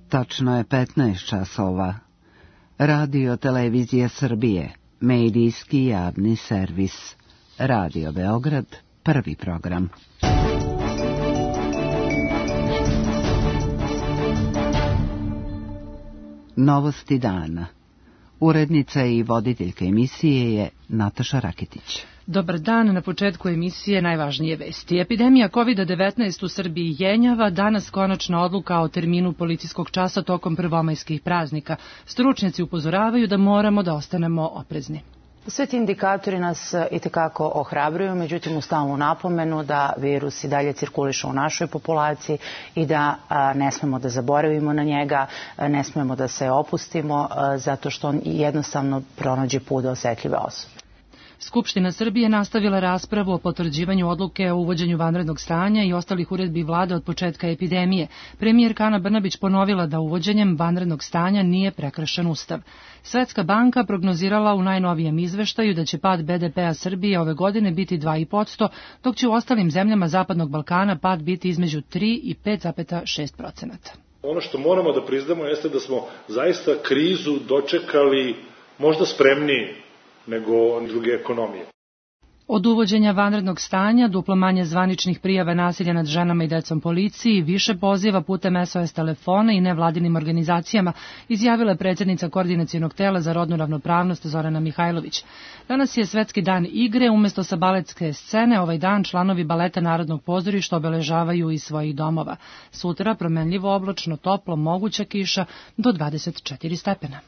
Tačno je 15 časova. Radio Televizija Srbije, medijski javni servis. Radio Beograd, prvi program. Novosti dana. Urednica i voditeljka emisije je Nataša Raketić. Dobar dan, na početku emisije najvažnije vesti. Epidemija COVID-19 u Srbiji jenjava, danas konačna odluka o terminu policijskog časa tokom prvomajskih praznika. Stručnjaci upozoravaju da moramo da ostanemo oprezni. Sve ti indikatori nas itekako ohrabruju, međutim u stalnu napomenu da virus i dalje cirkuliše u našoj populaciji i da ne smemo da zaboravimo na njega, ne smemo da se opustimo zato što on jednostavno pronađe put do osetljive osobe. Skupština Srbije nastavila raspravu o potvrđivanju odluke o uvođenju vanrednog stanja i ostalih uredbi vlade od početka epidemije. Premijerka Ana Brnabić ponovila da uvođenjem vanrednog stanja nije prekršen Ustav. Svetska banka prognozirala u najnovijem izveštaju da će pad BDP-a Srbije ove godine biti 2,5%, dok će u ostalim zemljama Zapadnog Balkana pad biti između 3 i 5,6%. Ono što moramo da priznamo jeste da smo zaista krizu dočekali možda spremniji nego druge ekonomije. Od uvođenja vanrednog stanja, duplo manje zvaničnih prijava nasilja nad ženama i decom policiji, više poziva putem SOS telefona i nevladinim organizacijama, izjavila je predsjednica Koordinacionog tela za rodnu ravnopravnost Zorana Mihajlović. Danas je Svetski dan igre, umjesto sa baletske scene, ovaj dan članovi baleta Narodnog pozorišta obeležavaju iz svojih domova. Sutra promenljivo oblačno, toplo, moguća kiša do 24 stepena.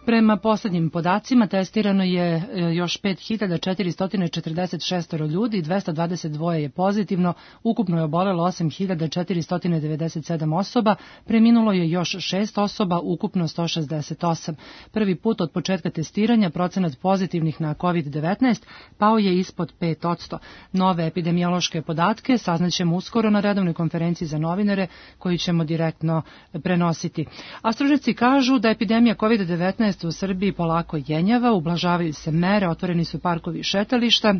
Prema poslednjim podacima testirano je još 5446 ljudi, 222 je pozitivno, ukupno je obolelo 8497 osoba, preminulo je još 6 osoba, ukupno 168. Prvi put od početka testiranja procenat pozitivnih na COVID-19 pao je ispod 5%. Nove epidemiološke podatke saznaćemo uskoro na redovnoj konferenciji za novinare koju ćemo direktno prenositi. A stručnjaci kažu da epidemija COVID-19 u Srbiji polako jenjava, ublažavaju se mere, otvoreni su parkovi i šetališta,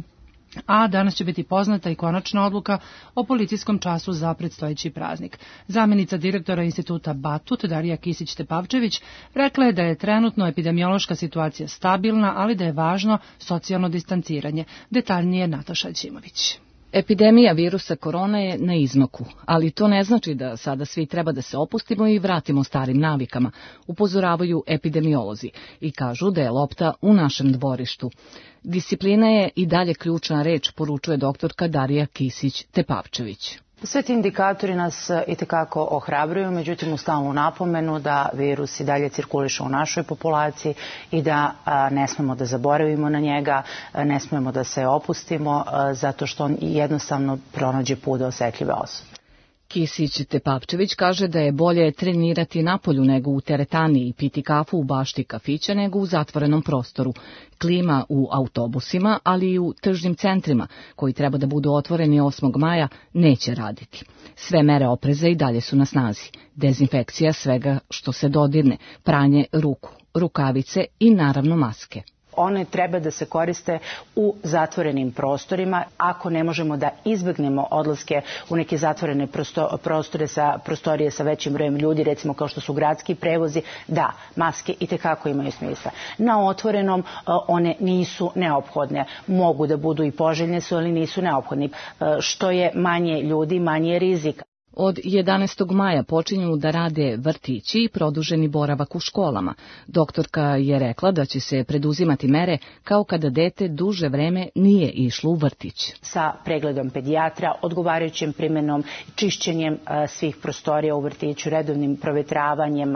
a danas će biti poznata i konačna odluka o policijskom času za predstojeći praznik. Zamjenica direktora instituta Batut, Darija Kisić-Tepavčević, rekla je da je trenutno epidemiološka situacija stabilna, ali da je važno socijalno distanciranje. Detaljnije Nataša Ćimović. Epidemija virusa korona je na izmaku, ali to ne znači da sada svi treba da se opustimo i vratimo starim navikama, upozoravaju epidemiolozi i kažu da je lopta u našem dvorištu. Disciplina je i dalje ključna reč, poručuje doktorka Darija Kisić-Tepavčević. Sve ti indikatori nas itekako ohrabruju, međutim u stalnu napomenu da virus i dalje cirkuliše u našoj populaciji i da ne smemo da zaboravimo na njega, ne smemo da se opustimo zato što on jednostavno pronađe put do osetljive osobe. Kisić-Tepavčević kaže da je bolje trenirati napolju nego u teretani i piti kafu u bašti kafića nego u zatvorenom prostoru. Klima u autobusima, ali i u tržnim centrima, koji treba da budu otvoreni 8. maja, neće raditi. Sve mere opreza i dalje su na snazi. Dezinfekcija svega što se dodirne, pranje ruku, rukavice i naravno maske. One treba da se koriste u zatvorenim prostorima. Ako ne možemo da izbegnemo odlaske u neke zatvorene prostorije sa većim brojem ljudi, recimo kao što su gradski prevozi, da, maske itekako imaju smisla. Na otvorenom one nisu neophodne. Mogu da budu i poželjne su, ali nisu neophodni. Što je manje ljudi, manje je rizik. Od 11. maja počinju da rade vrtići i produženi boravak u školama. Doktorka je rekla da će se preduzimati mere kao kada dete duže vreme nije išlo u vrtić. Sa pregledom pedijatra, odgovarajućim primjenom, čišćenjem svih prostorija u vrtiću, redovnim provetravanjem,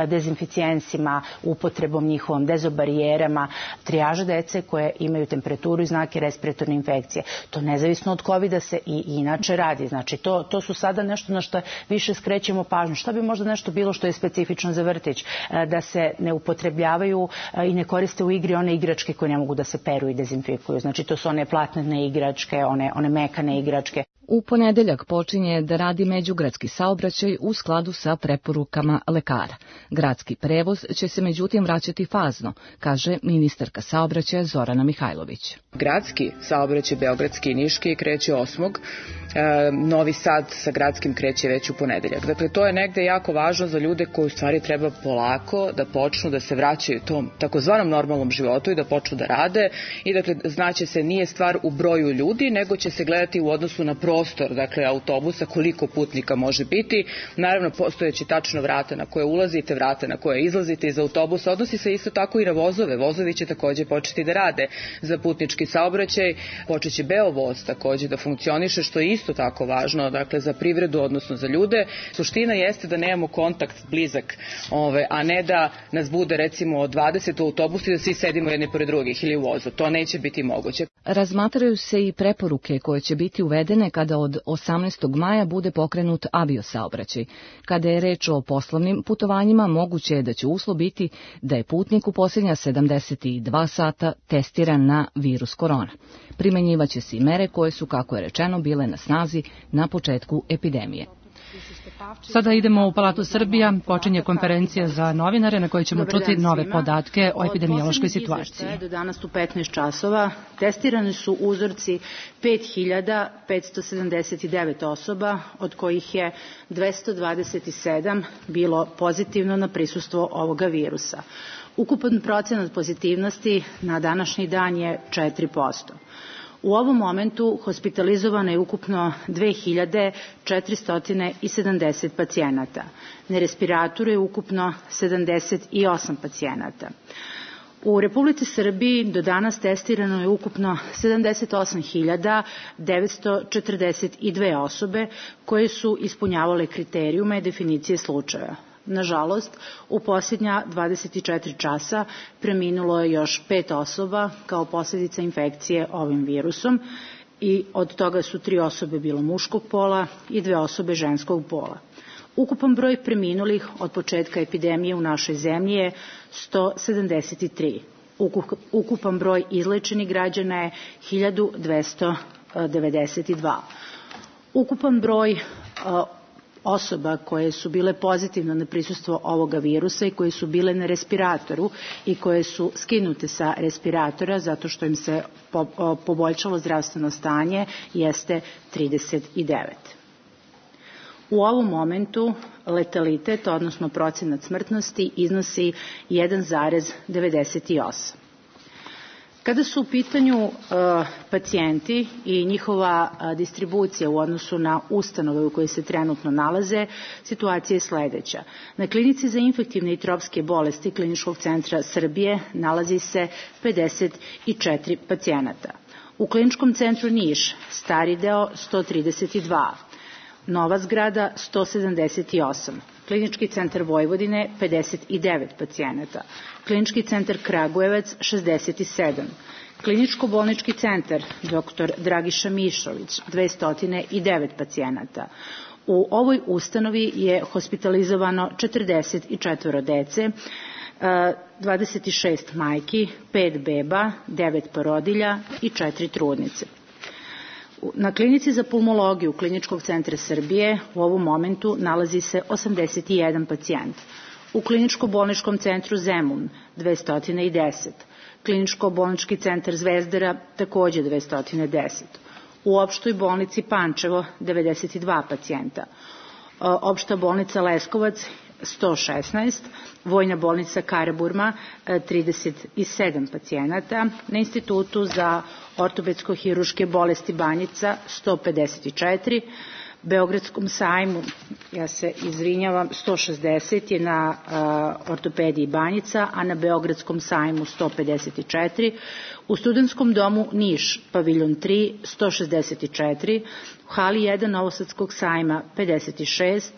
dezinficijencima, upotrebom njihovom, dezobarijerama, trijaža dece koje imaju temperaturu i znake respiratorne infekcije. To nezavisno od COVID-a se i inače radi. Znači, to su sada nešto na što više skrećemo pažnju. Šta bi možda nešto bilo što je specifično za vrtić? Da se ne upotrebljavaju i ne koriste u igri one igračke koje ne mogu da se peru i dezinfikuju. Znači to su one platnene igračke, one mekane igračke. U ponedeljak počinje da radi međugradski saobraćaj u skladu sa preporukama lekara. Gradski prevoz će se međutim vraćati fazno, kaže ministarka saobraćaja Zorana Mihajlović. Gradski saobraćaj, beogradski i niški, kreće 8. Novi Sad sa gradskim kreće već u ponedeljak. Dakle, to je negde jako važno za ljude koji u stvari treba polako da počnu da se vraćaju tom takozvanom normalnom životu i da počnu da rade. I dakle, znaće se, nije stvar u broju ljudi, nego će se gledati u odnosu na prostor, dakle, autobusa, koliko putnika može biti. Naravno, postojeći tačno vrata na koje ulazite, vrata na koje izlazite iz autobusa. Odnosi se isto tako i na vozove. Vozovi će takođe početi da rade za putnički saobraćaj. Počeće Beovoz takođe da funkcioniše, što je isto tako važno, dakle, za privredu, odnosno za ljude. Suština jeste da nemamo kontakt blizak, a ne da nas bude recimo 20 u autobusu i da svi sedimo jedni pored drugih ili u vozu. To neće biti moguće. Razmatraju se i preporuke koje će biti uvedene kada od 18. maja bude pokrenut aviosaobraćaj. Kada je reč o poslovnim putovanjima, moguće je da će uslov biti da je putnik u posljednja 72 sata testiran na virus korona. Primenjivaće se i mere koje su, kako je rečeno, bile na snazi na početku epidemije. Sada idemo u Palatu Srbija, počinje konferencija za novinare na kojoj ćemo čuti nove podatke o epidemiološkoj situaciji. Do danas u 15 časova testirani su uzorci 5579 osoba, od kojih je 227 bilo pozitivno na prisustvo ovoga virusa. Ukupan procenat pozitivnosti na današnji dan je 4%. U ovom momentu hospitalizovano je ukupno 2470 pacijenata. Na respiratoru je ukupno 78 pacijenata. U Republici Srbiji do danas testirano je ukupno 78.942 osobe koje su ispunjavale kriterijume definicije slučaja. Nažalost, u posljednja 24 časa preminulo je još 5 osoba kao posljedica infekcije ovim virusom i od toga su 3 osobe bilo muškog pola i 2 osobe ženskog pola. Ukupan broj preminulih od početka epidemije u našoj zemlji je 173. Ukupan broj izlečenih građana je 1292. Ukupan broj osoba koje su bile pozitivne na prisustvo ovoga virusa i koje su bile na respiratoru i koje su skinute sa respiratora zato što im se poboljšalo zdravstveno stanje jeste 39. U ovom momentu letalitet, odnosno procenat smrtnosti, iznosi 1,98. Kada su u pitanju pacijenti i njihova distribucija u odnosu na ustanove u kojoj se trenutno nalaze, situacija je sledeća. Na klinici za infektivne i tropske bolesti Kliničkog centra Srbije nalazi se 54 pacijenata. U Kliničkom centru Niš, stari deo 132, nova zgrada 178, Klinički centar Vojvodine 59 pacijenata, Klinički centar Kragujevac 67, Kliničko-bolnički centar dr. Dragiša Mišović 209 pacijenata. U ovoj ustanovi je hospitalizovano 44 dece, 26 majki, 5 beba, 9 porodilja i 4 trudnice. Na klinici za pulmologiju Kliničkog centra Srbije u ovom momentu nalazi se 81 pacijent. U Kliničko-bolničkom centru Zemun 210, Kliničko-bolnički centar Zvezdara takođe 210, u opštoj bolnici Pančevo 92 pacijenta, opšta bolnica Leskovac 116, Vojna bolnica Karaburma 37 pacijenata, na Institutu za ortopedsko-hiruške bolesti Banjica 154, Beogradskom sajmu, ja se izvinjavam, 160 je na ortopediji Banjica, a na Beogradskom sajmu 154, u Studentskom domu Niš, paviljon 3, 164, u hali 1 Novosadskog sajma 56,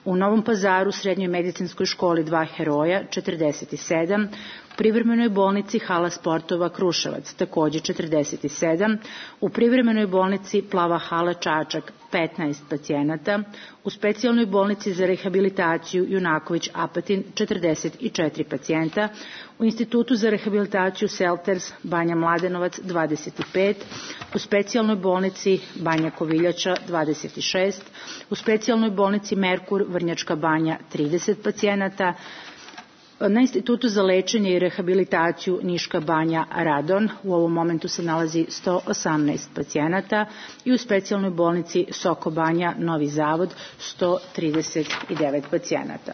u Novom Pazaru, Srednjoj medicinskoj školi 2 Heroja 47, U privremenoj bolnici Hala sportova Kruševac takođe 47, u privremenoj bolnici Plava hala Čačak 15 pacijenata, u specijalnoj bolnici za rehabilitaciju Junaković Apatin 44 pacijenta, u Institutu za rehabilitaciju Selters Banja Mladenovac 25, u specijalnoj bolnici Banja Koviljača 26, u specijalnoj bolnici Merkur Vrnjačka Banja 30 pacijenata, na Institutu za lečenje i rehabilitaciju Niška Banja Radon u ovom momentu se nalazi 118 pacijenata i u specijalnoj bolnici Soko Banja Novi Zavod 139 pacijenata.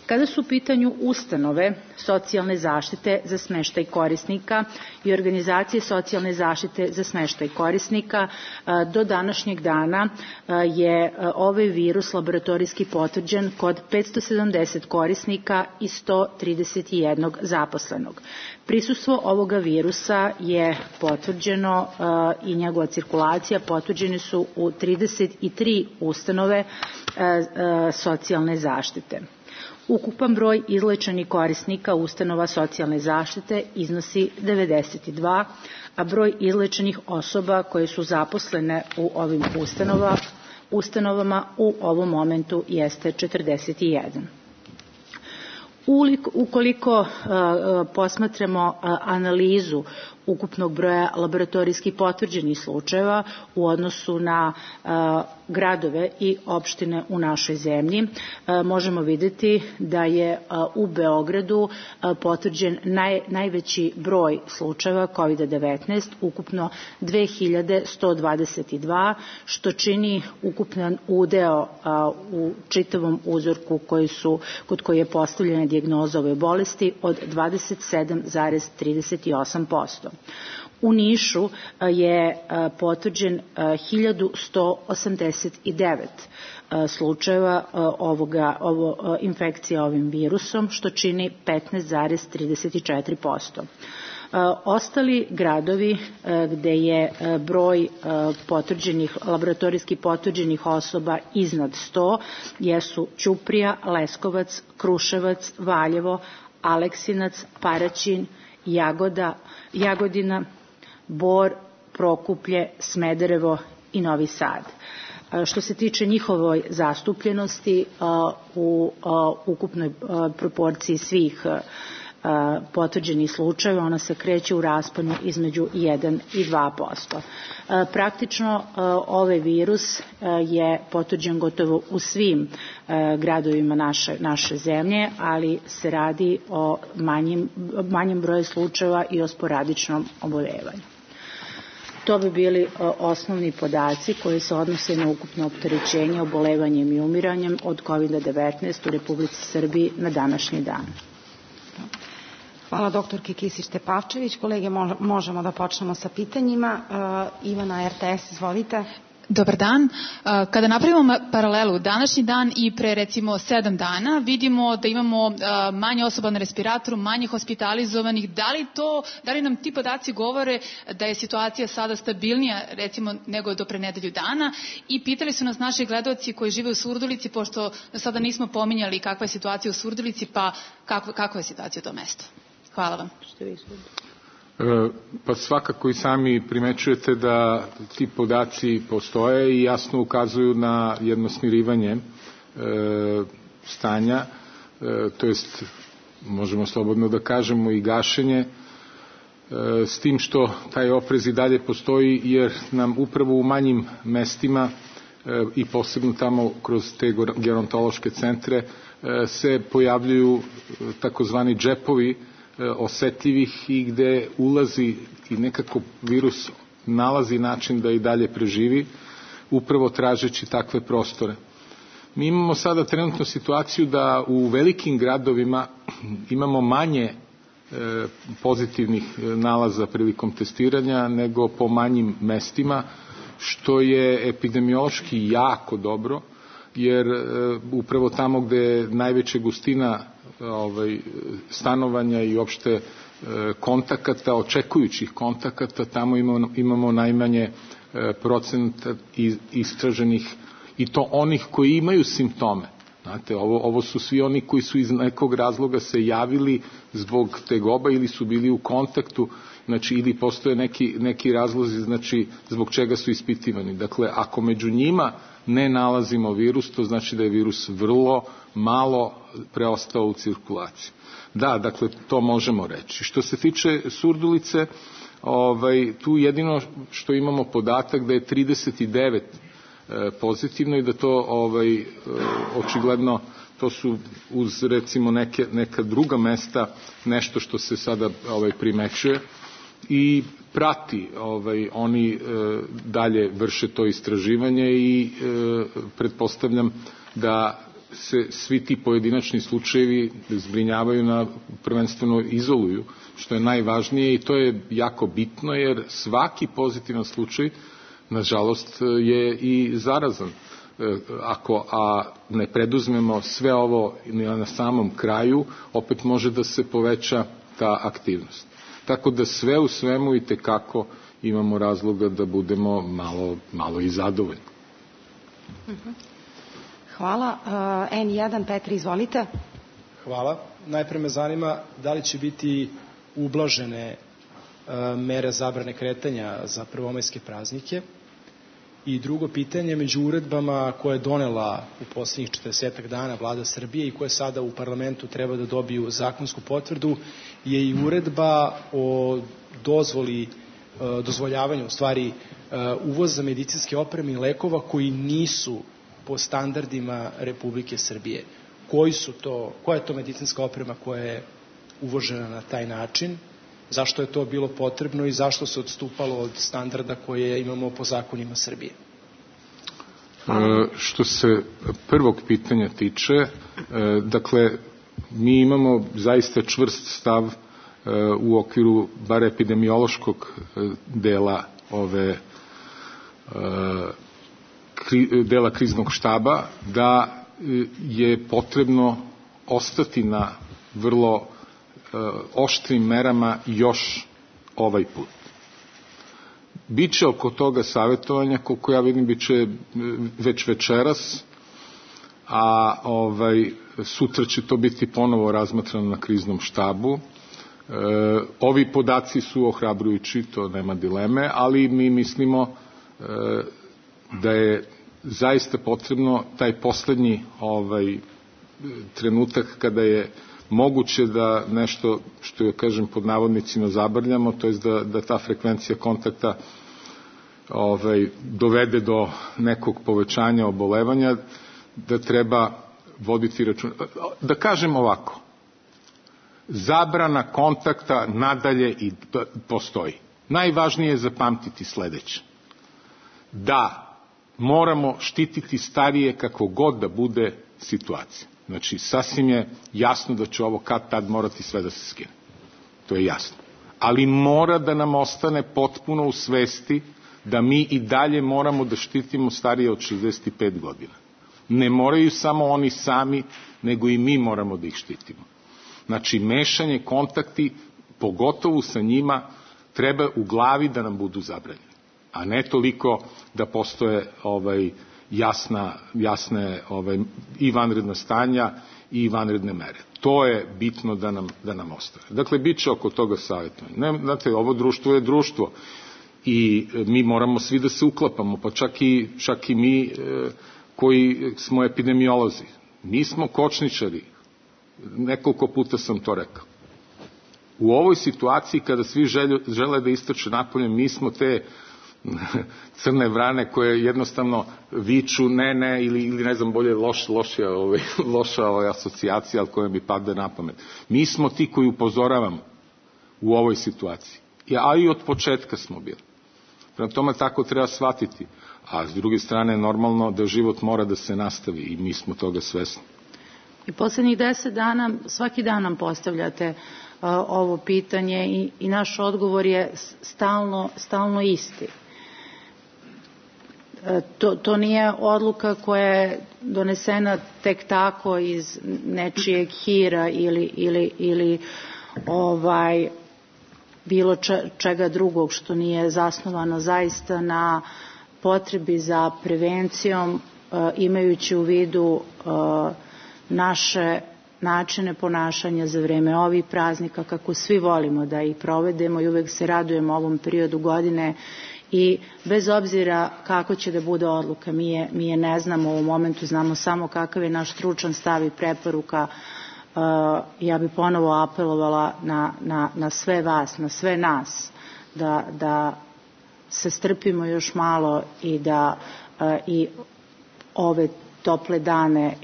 Kada su u pitanju ustanove socijalne zaštite za smeštaj korisnika i organizacije socijalne zaštite za smeštaj korisnika, do današnjeg dana je ovaj virus laboratorijski potvrđen kod 570 korisnika i 131 zaposlenog. Prisustvo ovoga virusa je potvrđeno i njegova cirkulacija potvrđeni su u 33 ustanove socijalne zaštite. Ukupan broj izlečenih korisnika ustanova socijalne zaštite iznosi 92, a broj izlečenih osoba koje su zaposlene u ovim ustanovama u ovom momentu jeste 41. Ukoliko posmatramo analizu ukupnog broja laboratorijski potvrđenih slučajeva u odnosu na gradove i opštine u našoj zemlji, možemo vidjeti da je u Beogradu potvrđen najveći broj slučajeva COVID-19, ukupno 2122, što čini ukupan udeo u čitavom uzorku kod koji je postavljena dijagnoza ove bolesti od 27,38%. U Nišu je potvrđen 1189 slučajeva infekcija ovim virusom, što čini 15,34%. Ostali gradovi gde je broj laboratorijski potvrđenih osoba iznad 100 jesu Ćuprija, Leskovac, Kruševac, Valjevo, Aleksinac, Paraćin, Jagodina, Bor, Prokuplje, Smederevo i Novi Sad. Što se tiče njihovoj zastupljenosti u ukupnoj proporciji svih potvrđenih slučajeva, ona se kreće u rasponu između 1 i 2%. Praktično ovaj virus je potvrđen gotovo u svim gradovima naše zemlje, ali se radi o manjem broju slučajeva i o sporadičnom oboljevanju. To bi bili osnovni podaci koji se odnose na ukupno opterećenje obolevanjem i umiranjem od COVID-19 u Republici Srbiji na današnji dan. Hvala doktorki Kisić-Tepavčević. Kolege, možemo da počnemo sa pitanjima. Ivana, RTS, izvolite. Dobar dan. Kada napravimo paralelu današnji dan i pre recimo 7 dana, vidimo da imamo manje osoba na respiratoru, manje hospitalizovanih. Da li nam ti podaci govore da je situacija sada stabilnija recimo nego do pre nedelju dana? I pitali su nas naši gledaoci koji žive u Surdulici, pošto do sada nismo pominjali kakva je situacija u Surdulici, pa kakva je situacija u tom mestu? Hvala vam. Pa svakako i sami primećujete da ti podaci postoje i jasno ukazuju na jedno smirivanje stanja, to jest možemo slobodno da kažemo i gašenje, s tim što taj oprez i dalje postoji jer nam upravo u manjim mestima i posebno tamo kroz te gerontološke centre se pojavljuju takozvani džepovi osetljivih i gde ulazi i nekako virus nalazi način da i dalje preživi, upravo tražeći takve prostore. Mi imamo sada trenutno situaciju da u velikim gradovima imamo manje pozitivnih nalaza prilikom testiranja nego po manjim mestima, što je epidemiološki jako dobro, jer upravo tamo gde je najveća gustina stanovanja i opšte kontakata, očekujućih kontakata, tamo imamo najmanje procenta istraženih, i to onih koji imaju simptome. Znate, ovo su svi oni koji su iz nekog razloga se javili zbog tegoba ili su bili u kontaktu, znači ili postoje neki razlozi, znači zbog čega su ispitivani. Dakle, ako među njima ne nalazimo virus, to znači da je virus vrlo malo preostao u cirkulaciji. Da, dakle, to možemo reći. Što se tiče Surdulice, tu jedino što imamo podatak da je 39 pozitivno i da to očigledno to su uz recimo neka druga mesta nešto što se sada primećuje i prati, oni dalje vrše to istraživanje i pretpostavljam da se svi ti pojedinačni slučajevi zbrinjavaju prvenstveno izoluju, što je najvažnije i to je jako bitno jer svaki pozitivan slučaj nažalost je i zarazan. Ako ne preduzmemo sve ovo na samom kraju, opet može da se poveća ta aktivnost. Tako da sve u svemu itekako imamo razloga da budemo malo i zadovoljni. Hvala. N1, Petri, izvolite. Hvala. Najpre me zanima da li će biti ublažene mere zabrane kretanja za prvomajske praznike. I drugo pitanje, među uredbama koje je donela u posljednjih 40 dana Vlada Srbije i koje sada u parlamentu treba da dobiju zakonsku potvrdu, je i uredba o dozvoljavanju u stvari uvoza medicinske opreme i lekova koji nisu po standardima Republike Srbije. Koja je to medicinska oprema koja je uvožena na taj način? Zašto je to bilo potrebno i zašto se odstupalo od standarda koje imamo po zakonima Srbije? Što se prvog pitanja tiče, dakle, mi imamo zaista čvrst stav u okviru bar epidemiološkog dela dela kriznog štaba, da je potrebno ostati na vrlo oštrim merama još ovaj put. Biće oko toga savjetovanja, koliko ja vidim, biće već večeras, a sutra će to biti ponovo razmatrano na kriznom štabu. Ovi podaci su ohrabrujući, to nema dileme, ali mi mislimo da je zaista potrebno taj poslednji trenutak kada je moguće da nešto, što ja kažem pod navodnicima, zabrljamo, to je da ta frekvencija kontakta dovede do nekog povećanja obolevanja, da treba voditi račun. Da kažem ovako, zabrana kontakta nadalje i postoji. Najvažnije je zapamtiti sledeće. Da moramo štititi starije kako god da bude situacija. Znači, sasvim je jasno da će ovo kad tad morati sve da se skine. To je jasno. Ali mora da nam ostane potpuno u svesti da mi i dalje moramo da štitimo starije od 65 godina. Ne moraju samo oni sami, nego i mi moramo da ih štitimo. Znači, mešanje, kontakti, pogotovo sa njima, treba u glavi da nam budu zabranjeni. A ne toliko da postoje jasne i vanredna stanja i vanredne mere. To je bitno da nam ostane. Dakle, bit će oko toga savjetovanja. Znate, ovo društvo je društvo i mi moramo svi da se uklapamo, pa čak i mi koji smo epidemiolozi. Mi smo kočničari. Nekoliko puta sam to rekao. U ovoj situaciji kada svi žele da istrče napolje, mi smo te crne vrane koje jednostavno viču ne ili ne znam bolje loša asocijacija, ali koja mi pada na pamet. Mi smo ti koji upozoravamo u ovoj situaciji. A i od početka smo bili. Prema tome tako treba shvatiti. A s druge strane normalno da život mora da se nastavi i mi smo toga svesni. I poslednjih 10 dana, svaki dan nam postavljate ovo pitanje i naš odgovor je stalno isti. To nije odluka koja je donesena tek tako iz nečijeg hira ili bilo čega drugog što nije zasnovano zaista na potrebi za prevencijom, imajući u vidu naše načine ponašanja za vreme ovih praznika, kako svi volimo da ih provedemo i uvek se radujemo ovom periodu godine i bez obzira kako će da bude odluka, mi je ne znamo u ovom momentu, znamo samo kakav je naš stručan stav i preporuka. Ja bi ponovo apelovala na sve vas, na sve nas, da se strpimo još malo i da i ove tople dane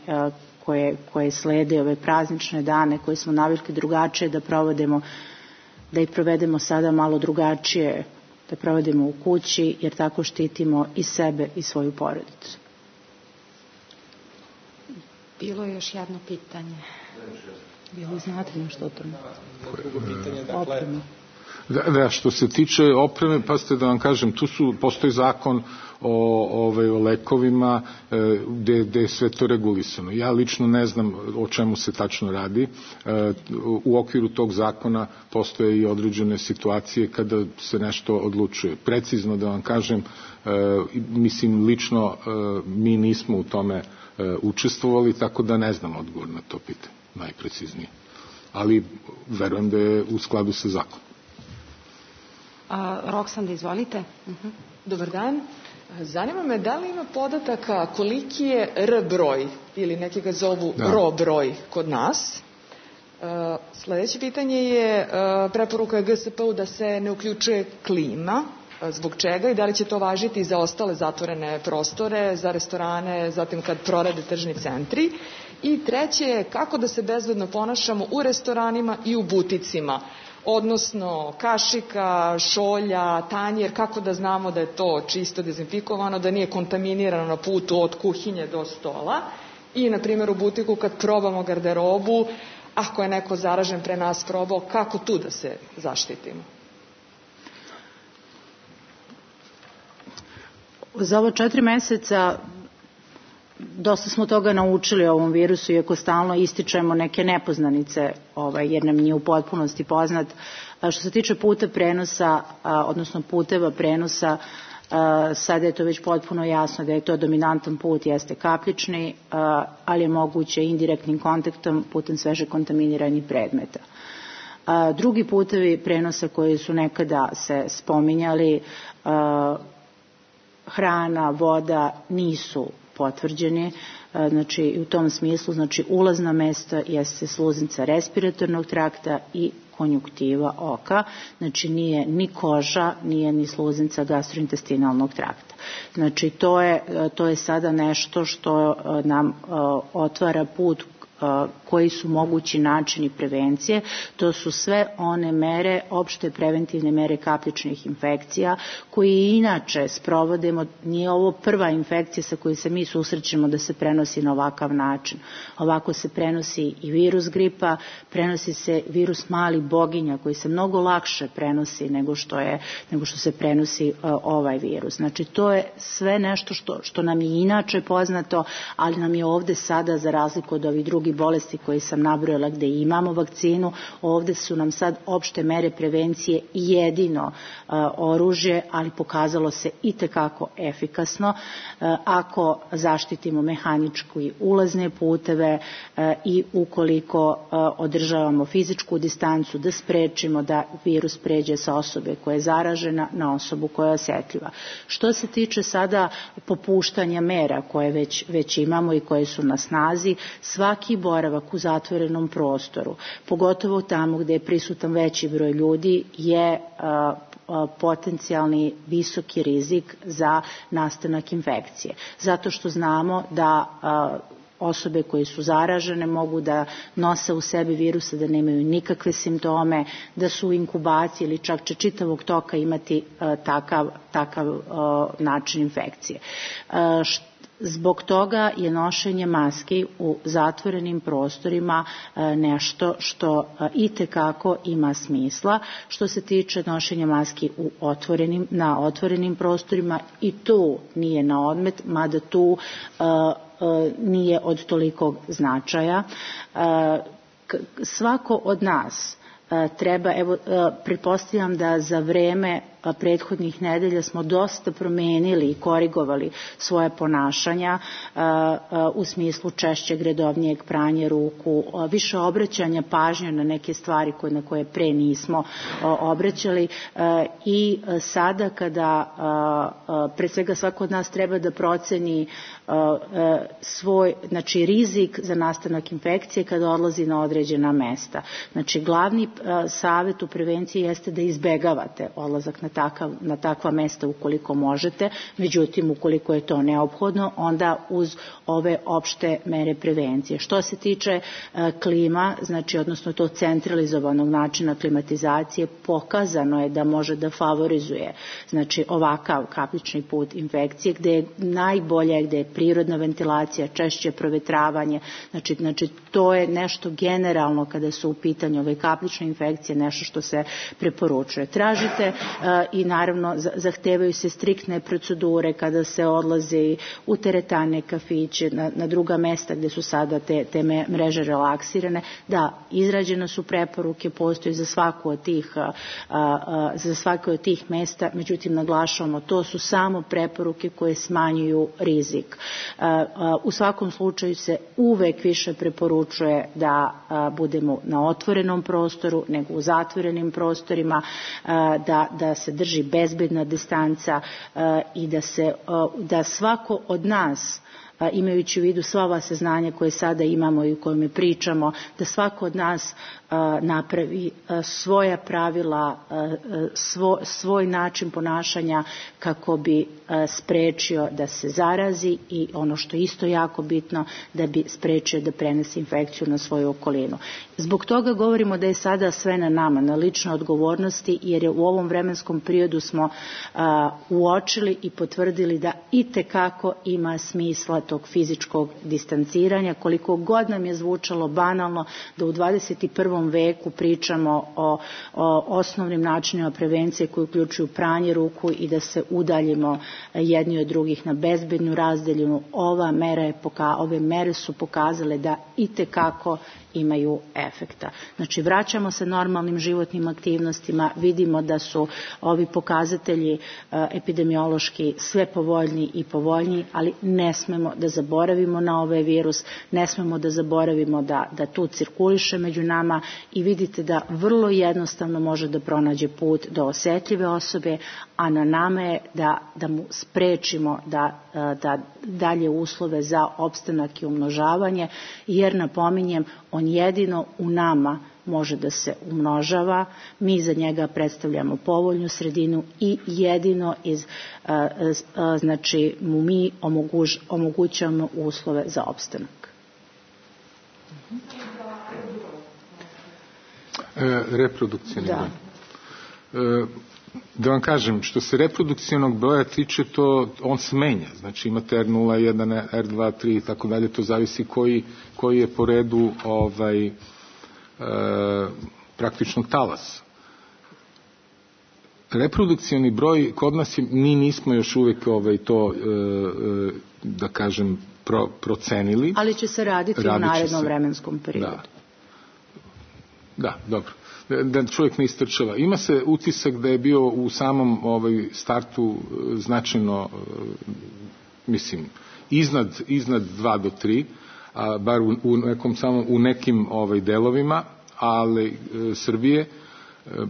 koje slede, ove praznične dane koje smo navikli drugačije da provodimo, da ih provedemo sada malo drugačije, da provodimo u kući, jer tako štitimo i sebe i svoju porodicu. Bilo je još jedno pitanje. Bilo znate nešto o tome? Drugo pitanje, dakle... Da, što se tiče opreme, pa ste da vam kažem, postoji zakon o lekovima gde je sve to regulisano. Ja lično ne znam o čemu se tačno radi. U okviru tog zakona postoje i određene situacije kada se nešto odlučuje. Precizno da vam kažem, mislim lično mi nismo u tome učestvovali, tako da ne znam odgovor na to pitanje, najpreciznije. Ali verujem da je u skladu sa zakonom. Roksanda, izvolite. Dobar dan. Zanima me da li ima podataka koliki je R broj ili neki ga zovu RO broj kod nas. Sledeće pitanje je preporuka GSP-u da se ne uključuje klima. Zbog čega i da li će to važiti za ostale zatvorene prostore, za restorane, zatim kad prorade tržni centri. I treće je kako da se bezbedno ponašamo u restoranima i u buticima. Odnosno kašika, šolja, tanjer, kako da znamo da je to čisto dezinfikovano, da nije kontaminirano na putu od kuhinje do stola. I, na primjer, u butiku kad probamo garderobu, ako je neko zaražen pre nas probao, kako tu da se zaštitimo? Za ovo 4 meseca dosta smo toga naučili o ovom virusu, iako stalno ističemo neke nepoznanice, jer nam nije u potpunosti poznat. Što se tiče puta prenosa, odnosno puteva prenosa, sada je to već potpuno jasno da je to dominantan put, jeste kapljični, ali je moguće indirektnim kontaktom putem sveže kontaminiranih predmeta. Drugi putevi prenosa koji su nekada se spominjali, hrana, voda, nisu potvrđeni, znači u tom smislu, znači ulazna mesta jeste sluznica respiratornog trakta i konjuktiva oka, znači nije ni koža, nije ni sluznica gastrointestinalnog trakta. Znači to je sada nešto što nam otvara put koji su mogući načini prevencije. To su sve one mere, opšte preventivne mere kapljičnih infekcija, koje inače sprovodimo. Nije ovo prva infekcija sa kojoj se mi susrećemo da se prenosi na ovakav način. Ovako se prenosi i virus gripa, prenosi se virus malih boginja koji se mnogo lakše prenosi nego što se prenosi ovaj virus. Znači to je sve nešto što nam je inače poznato, ali nam je ovde sada, za razliku od ovih drugih bolesti koji sam nabrojala gde imamo vakcinu, ovde su nam sad opšte mere prevencije jedino oružje, ali pokazalo se itekako efikasno ako zaštitimo mehanički ulazne puteve i ukoliko održavamo fizičku distancu, da sprečimo da virus pređe sa osobe koja je zaražena na osobu koja je osetljiva. Što se tiče sada popuštanja mera koje već imamo i koje su na snazi, svaki boravak u zatvorenom prostoru, pogotovo tamo gde je prisutan veći broj ljudi, je potencijalni visoki rizik za nastanak infekcije. Zato što znamo da osobe koje su zaražene mogu da nose u sebi virusa, da nemaju nikakve simptome, da su u inkubaciji ili čak će čitavog toka imati takav način infekcije. Zbog toga je nošenje maski u zatvorenim prostorima nešto što itekako ima smisla. Što se tiče nošenja maski na otvorenim prostorima, i tu nije na odmet, mada tu nije od tolikog značaja. Svako od nas treba, pretpostavljam da za vreme prethodnih nedelja smo dosta promenili i korigovali svoje ponašanja u smislu češćeg, redovnijeg pranja ruku, više obraćanja pažnje na neke stvari na koje pre nismo obraćali i sada kada pre svega svako od nas treba da proceni svoj, znači rizik za nastanak infekcije kada odlazi na određena mesta. Znači glavni savjet u prevenciji jeste da izbegavate odlazak na takva mesta ukoliko možete, međutim ukoliko je to neophodno, onda uz ove opšte mere prevencije. Što se tiče klima, znači odnosno to centralizovanog načina klimatizacije, pokazano je da može da favorizuje znači ovakav kaplični put infekcije, gde je najbolje, gde je prirodna ventilacija, češće provetravanje, znači to je nešto generalno kada su u pitanju ove kaplične infekcije, nešto što se preporučuje. Tražite i naravno zahtevaju se striktne procedure kada se odlazi u teretane, kafiće, na druga mesta gde su sada te mreže relaksirane. Da, izrađene su preporuke, postoji za svako od tih mesta, međutim naglašavamo, to su samo preporuke koje smanjuju rizik. U svakom slučaju se uvek više preporučuje da budemo na otvorenom prostoru nego u zatvorenim prostorima, da se drži bezbedna distanca i da svako od nas, imajući u vidu sva ova saznanja koje sada imamo i o kojima pričamo, da svako od nas napravi svoja pravila, svoj način ponašanja kako bi sprečio da se zarazi i ono što je isto jako bitno, da bi sprečio da prenese infekciju na svoju okolinu. Zbog toga govorimo da je sada sve na nama, na ličnoj odgovornosti, jer je u ovom vremenskom periodu smo uočili i potvrdili da itekako ima smisla tog fizičkog distanciranja, koliko god nam je zvučalo banalno da u 21. veku pričamo o osnovnim načinima prevencije koji uključuju pranje ruku i da se udaljimo jedni od drugih na bezbednu razdaljinu. Ove mere su pokazale da itekako imaju efekta. Znači, vraćamo se normalnim životnim aktivnostima, vidimo da su ovi pokazatelji epidemiološki sve povoljniji i povoljniji, ali ne smemo da zaboravimo na ovaj virus, ne smemo da zaboravimo da tu cirkuliše među nama i vidite da vrlo jednostavno može da pronađe put do osetljive osobe, a na nama je da mu sprečimo da dalje uslove za opstanak i umnožavanje, jer napominjem, on jedino u nama može da se umnožava, mi za njega predstavljamo povoljnu sredinu i jedino znači mu mi omogućavamo uslove za opstanak. Reprodukcijni broj. Da vam kažem, što se reprodukcijnog broja tiče, on se menja. Znači imate R0, 1, R2, 3 i tako dalje, to zavisi koji je po redu praktičnog talasa. Reprodukcijni broj kod nas mi nismo još uvijek to, da kažem, procenili. Ali će se raditi u narednom vremenskom periodu. Da, dobro. Da čovjek ne istrčava. Ima se utisak da je bio u samom startu značajno, mislim, iznad 2 do 3, a bar u nekim delovima, ali Srbije.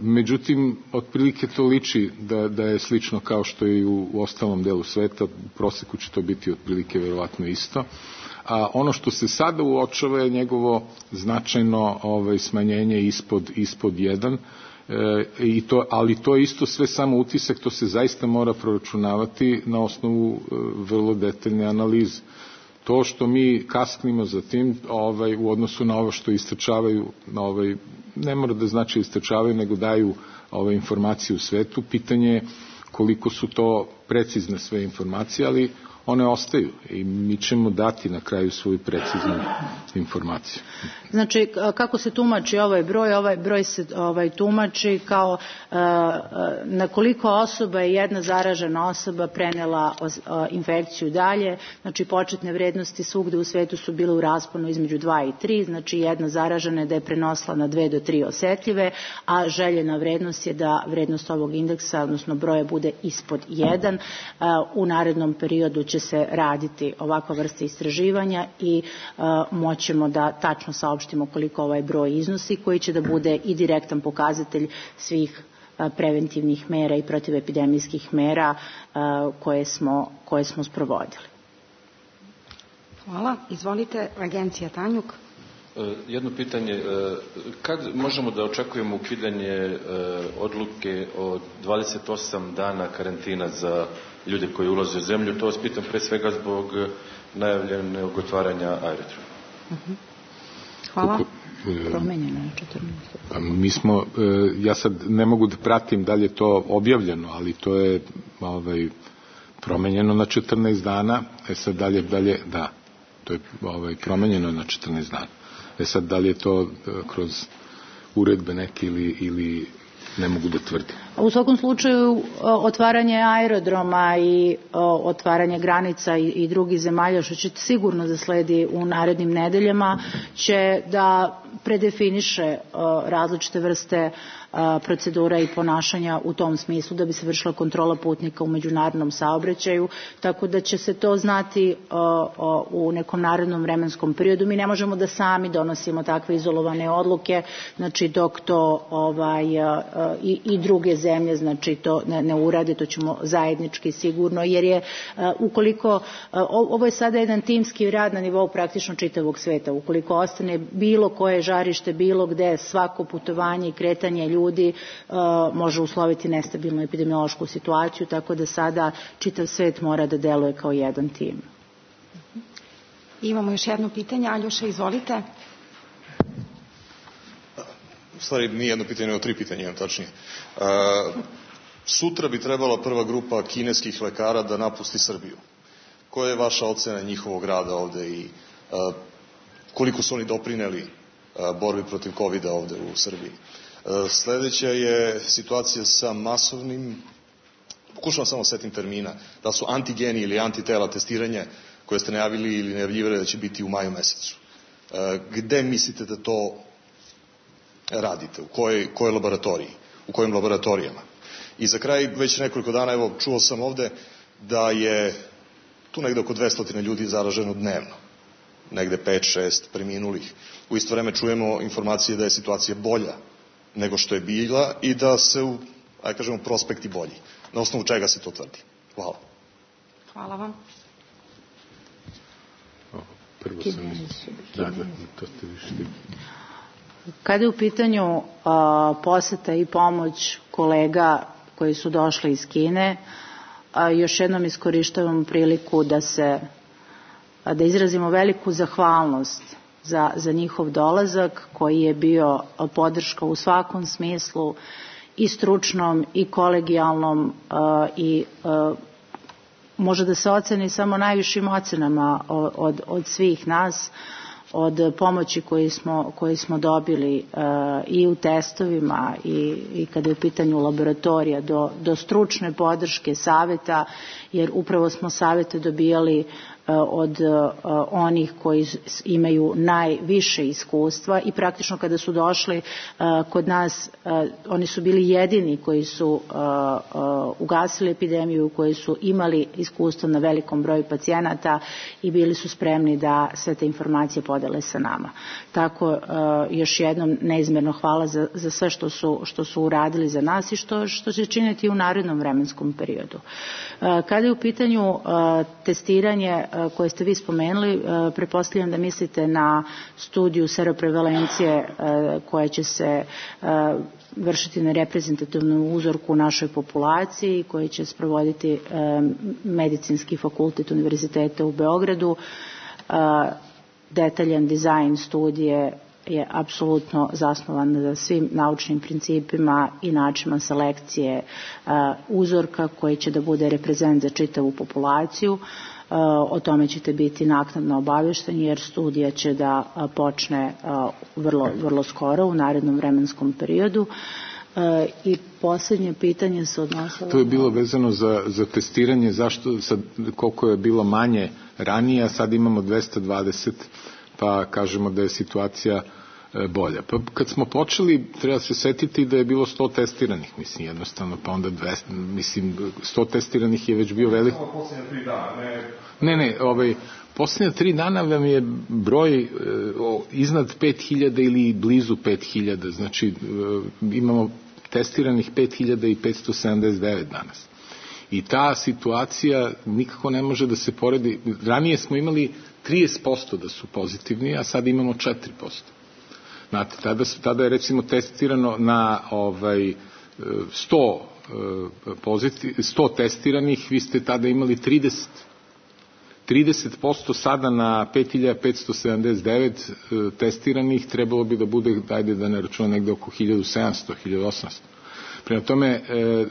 Međutim, otprilike to liči da je slično kao što je i u ostalom delu sveta. U proseku će to biti otprilike verovatno isto. A ono što se sada uočava je njegovo značajno smanjenje ispod 1, ali to je isto sve samo utisak, to se zaista mora proračunavati na osnovu vrlo detaljne analize. To što mi kasknimo za tim u odnosu na ovo što istrčavaju, ne mora da znači istrčavaju, nego daju informacije u svetu. Pitanje je koliko su to precizne sve informacije, ali one ostaju i mi ćemo dati na kraju svoju preciznu informaciju. Znači, kako se tumači ovaj broj se tumači kao na koliko osoba je jedna zaražena osoba prenela infekciju dalje, znači početne vrednosti svugde u svetu su bile u rasponu između 2 i 3, znači jedna zaražena je da je prenosila na 2 do 3 osetljive, a željena vrednost je da vrednost ovog indeksa, odnosno broja, bude ispod 1. U narednom periodu će se raditi ovakva vrsta istraživanja i moćemo da tačno saopštimo koliko ovaj broj iznosi, koji će da bude i direktan pokazatelj svih preventivnih mera i protivepidemijskih mera koje smo sprovodili. Hvala. Izvolite, Agencija Tanjug. Jedno pitanje, kad možemo da očekujemo ukidanje odluke od 28 dana karantina za ljude koji ulaze u zemlju? To vas pitam pre svega zbog najavljenog otvaranja aerodroma. Hvala. Promenjeno je 14. Mi smo, ja sad ne mogu da pratim da li je to objavljeno, ali to je promenjeno na 14 dana. Sad dalje, da, to je promenjeno na 14 dana. Sad da li je to kroz uredbe neke ili ne mogu da tvrdim. U svakom slučaju otvaranje aerodroma i otvaranje granica i drugih zemalja, što će sigurno da sledi u narednim nedeljama, će da predefiniše različite vrste procedura i ponašanja u tom smislu da bi se vršila kontrola putnika u međunarodnom saobraćaju, tako da će se to znati u nekom narednom vremenskom periodu. Mi ne možemo da sami donosimo takve izolovane odluke, znači dok to i druge zemlje znači to ne urade, to ćemo zajednički sigurno, jer je ukoliko, ovo je sada jedan timski rad na nivou praktično čitavog sveta, ukoliko ostane bilo koje žarište, bilo gde, svako putovanje i kretanje ljudi može usloviti nestabilnu epidemiološku situaciju, tako da sada čitav svet mora da deluje kao jedan tim. Imamo još jedno pitanje. Aljoša, izvolite. U stvari nije jedno pitanje, nego 3 pitanja, imam tačnije. Sutra bi trebala prva grupa kineskih lekara da napusti Srbiju. Koja je vaša ocena njihovog rada ovde i koliko su oni doprineli borbi protiv COVID-a ovde u Srbiji? Sledeća je situacija sa masovnim, pokušavam samo setim termina, da su antigeni ili antitela testiranja koje ste najavili ili najavljivali da će biti u maju mesecu. Gde mislite da to radite? U kojoj laboratoriji? U kojim laboratorijama? I za kraj, već nekoliko dana, evo, čuo sam ovde da je tu negde oko 200 ljudi zaraženo dnevno. Negde 5-6 preminulih. U isto vreme čujemo informacije da je situacija bolja nego što je bila i da se, ajde kažemo, prospekti bolji. Na osnovu čega se to tvrdi? Hvala. Hvala vam. Prvo sam... to ste više... Kada je u pitanju poseta i pomoć kolega koji su došli iz Kine, još jednom iskorištavam priliku da izrazimo veliku zahvalnost za njihov dolazak, koji je bio podrška u svakom smislu, i stručnom i kolegijalnom, i može da se oceni samo najvišim ocenama od svih nas, od pomoći koji smo dobili i u testovima i kada je u pitanju laboratorija do stručne podrške, saveta, jer upravo smo savete dobijali od onih koji imaju najviše iskustva i praktično kada su došli kod nas, oni su bili jedini koji su ugasili epidemiju, koji su imali iskustvo na velikom broju pacijenata i bili su spremni da sve te informacije podele sa nama. Tako još jednom neizmjerno hvala za sve što su uradili za nas i što će činiti u narednom vremenskom periodu. Kada je u pitanju testiranje koje ste vi spomenuli, pretpostavljam da mislite na studiju seroprevalencije koja će se vršiti na reprezentativnom uzorku u našoj populaciji, koji će sprovoditi Medicinski fakultet Univerziteta u Beogradu. Detaljan dizajn studije je apsolutno zasnovan na svim naučnim principima i načinima selekcije uzorka koji će da bude reprezent za čitavu populaciju. O tome ćete biti naknadno obavešteni jer studija će da počne vrlo skoro u narednom vremenskom periodu. I posljednje pitanje se odnosilo... To je bilo vezano za testiranje, zašto sad, koliko je bilo manje ranije, a sad imamo 220, pa kažemo da je situacija bolja. Pa kad smo počeli, treba se setiti da je bilo 100 testiranih, mislim, jednostavno, pa onda 200, mislim, 100 testiranih je već bio velik... Posljednje 3 dana, posljednje 3 dana vam je broj iznad 5000 ili blizu 5000, znači imamo testiranih 5579 danas. I ta situacija nikako ne može da se poredi. Ranije smo imali 30% da su pozitivni, a sad imamo 4%. Znate, tada je recimo testirano na 100 testiranih, vi ste tada imali 30%, sada na 5579 testiranih trebalo bi da bude, ajde da ne računam, negde oko 1700, 1800. Prema tome,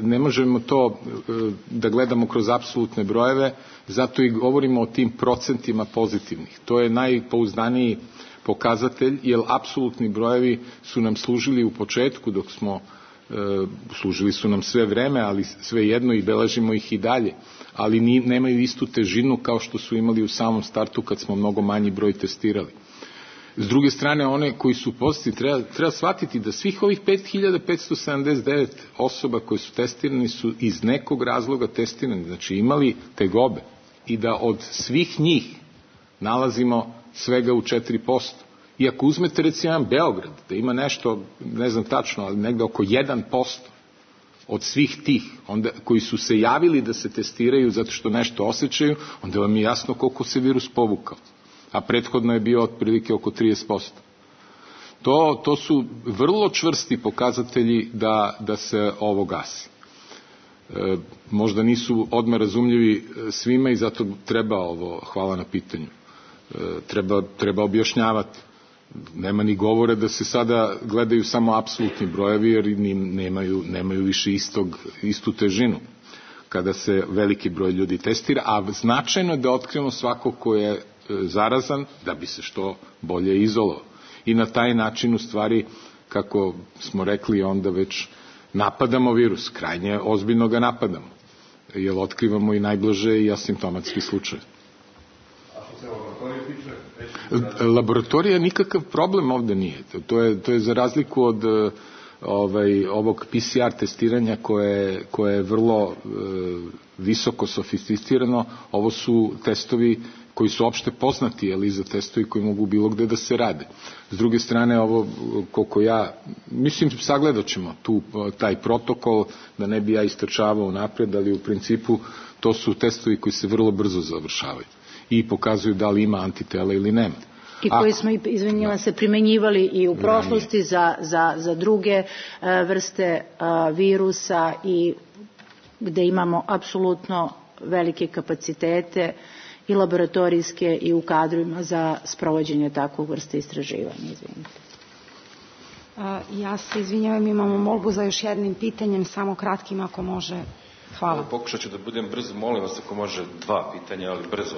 ne možemo to da gledamo kroz apsolutne brojeve, zato i govorimo o tim procentima pozitivnih. To je najpouzdaniji pokazatelj, jer apsolutni brojevi su nam služili u početku dok smo, služili su nam sve vreme, ali svejedno i beležimo ih i dalje, ali nemaju istu težinu kao što su imali u samom startu kad smo mnogo manji broj testirali. S druge strane, one koji su pozitivni, treba shvatiti da svih ovih 5579 osoba koji su testirani su iz nekog razloga testirani, znači imali tegobe, i da od svih njih nalazimo svega u 4%. I ako uzmete recimo jedan Beograd, da ima nešto, ne znam tačno, ali negde oko 1% od svih tih onda, koji su se javili da se testiraju zato što nešto osjećaju, onda vam je jasno koliko se virus povukao. A prethodno je bio otprilike oko 30%. To su vrlo čvrsti pokazatelji da se ovo gasi. Možda nisu odmah razumljivi svima i zato treba ovo, hvala na pitanju, treba objašnjavati. Nema ni govore da se sada gledaju samo apsolutni brojevi jer nemaju više istu težinu kada se veliki broj ljudi testira, a značajno je da otkrivamo svako ko je zarazan da bi se što bolje izolovao. I na taj način u stvari, kako smo rekli, onda već napadamo virus, krajnje ozbiljno ga napadamo, jer otkrivamo i najblaže i asimptomatski slučaj. Laboratorija nikakav problem ovde nije. To je za razliku od ovog PCR testiranja koje je vrlo visoko sofisticirano. Ovo su testovi koji su opšte poznati, ali za testovi koji mogu bilo gde da se rade. S druge strane, ovo, koliko ja, mislim, sagledat ćemo taj protokol, da ne bi ja istrčavao napred, ali u principu to su testovi koji se vrlo brzo završavaju i pokazuju da li ima antitela ili nema. I koji smo, izvinjava se, primenjivali i u prošlosti za druge vrste virusa i gde imamo apsolutno velike kapacitete i laboratorijske i u kadrovima za sprovođenje takvog vrste istraživanja. Izvinite. Ja se izvinjavam, imamo molbu za još jednim pitanjem, samo kratkim ako može. Hvala. Pokušat ću da budem brzo, molim vas ako može 2 pitanja, ali brzo.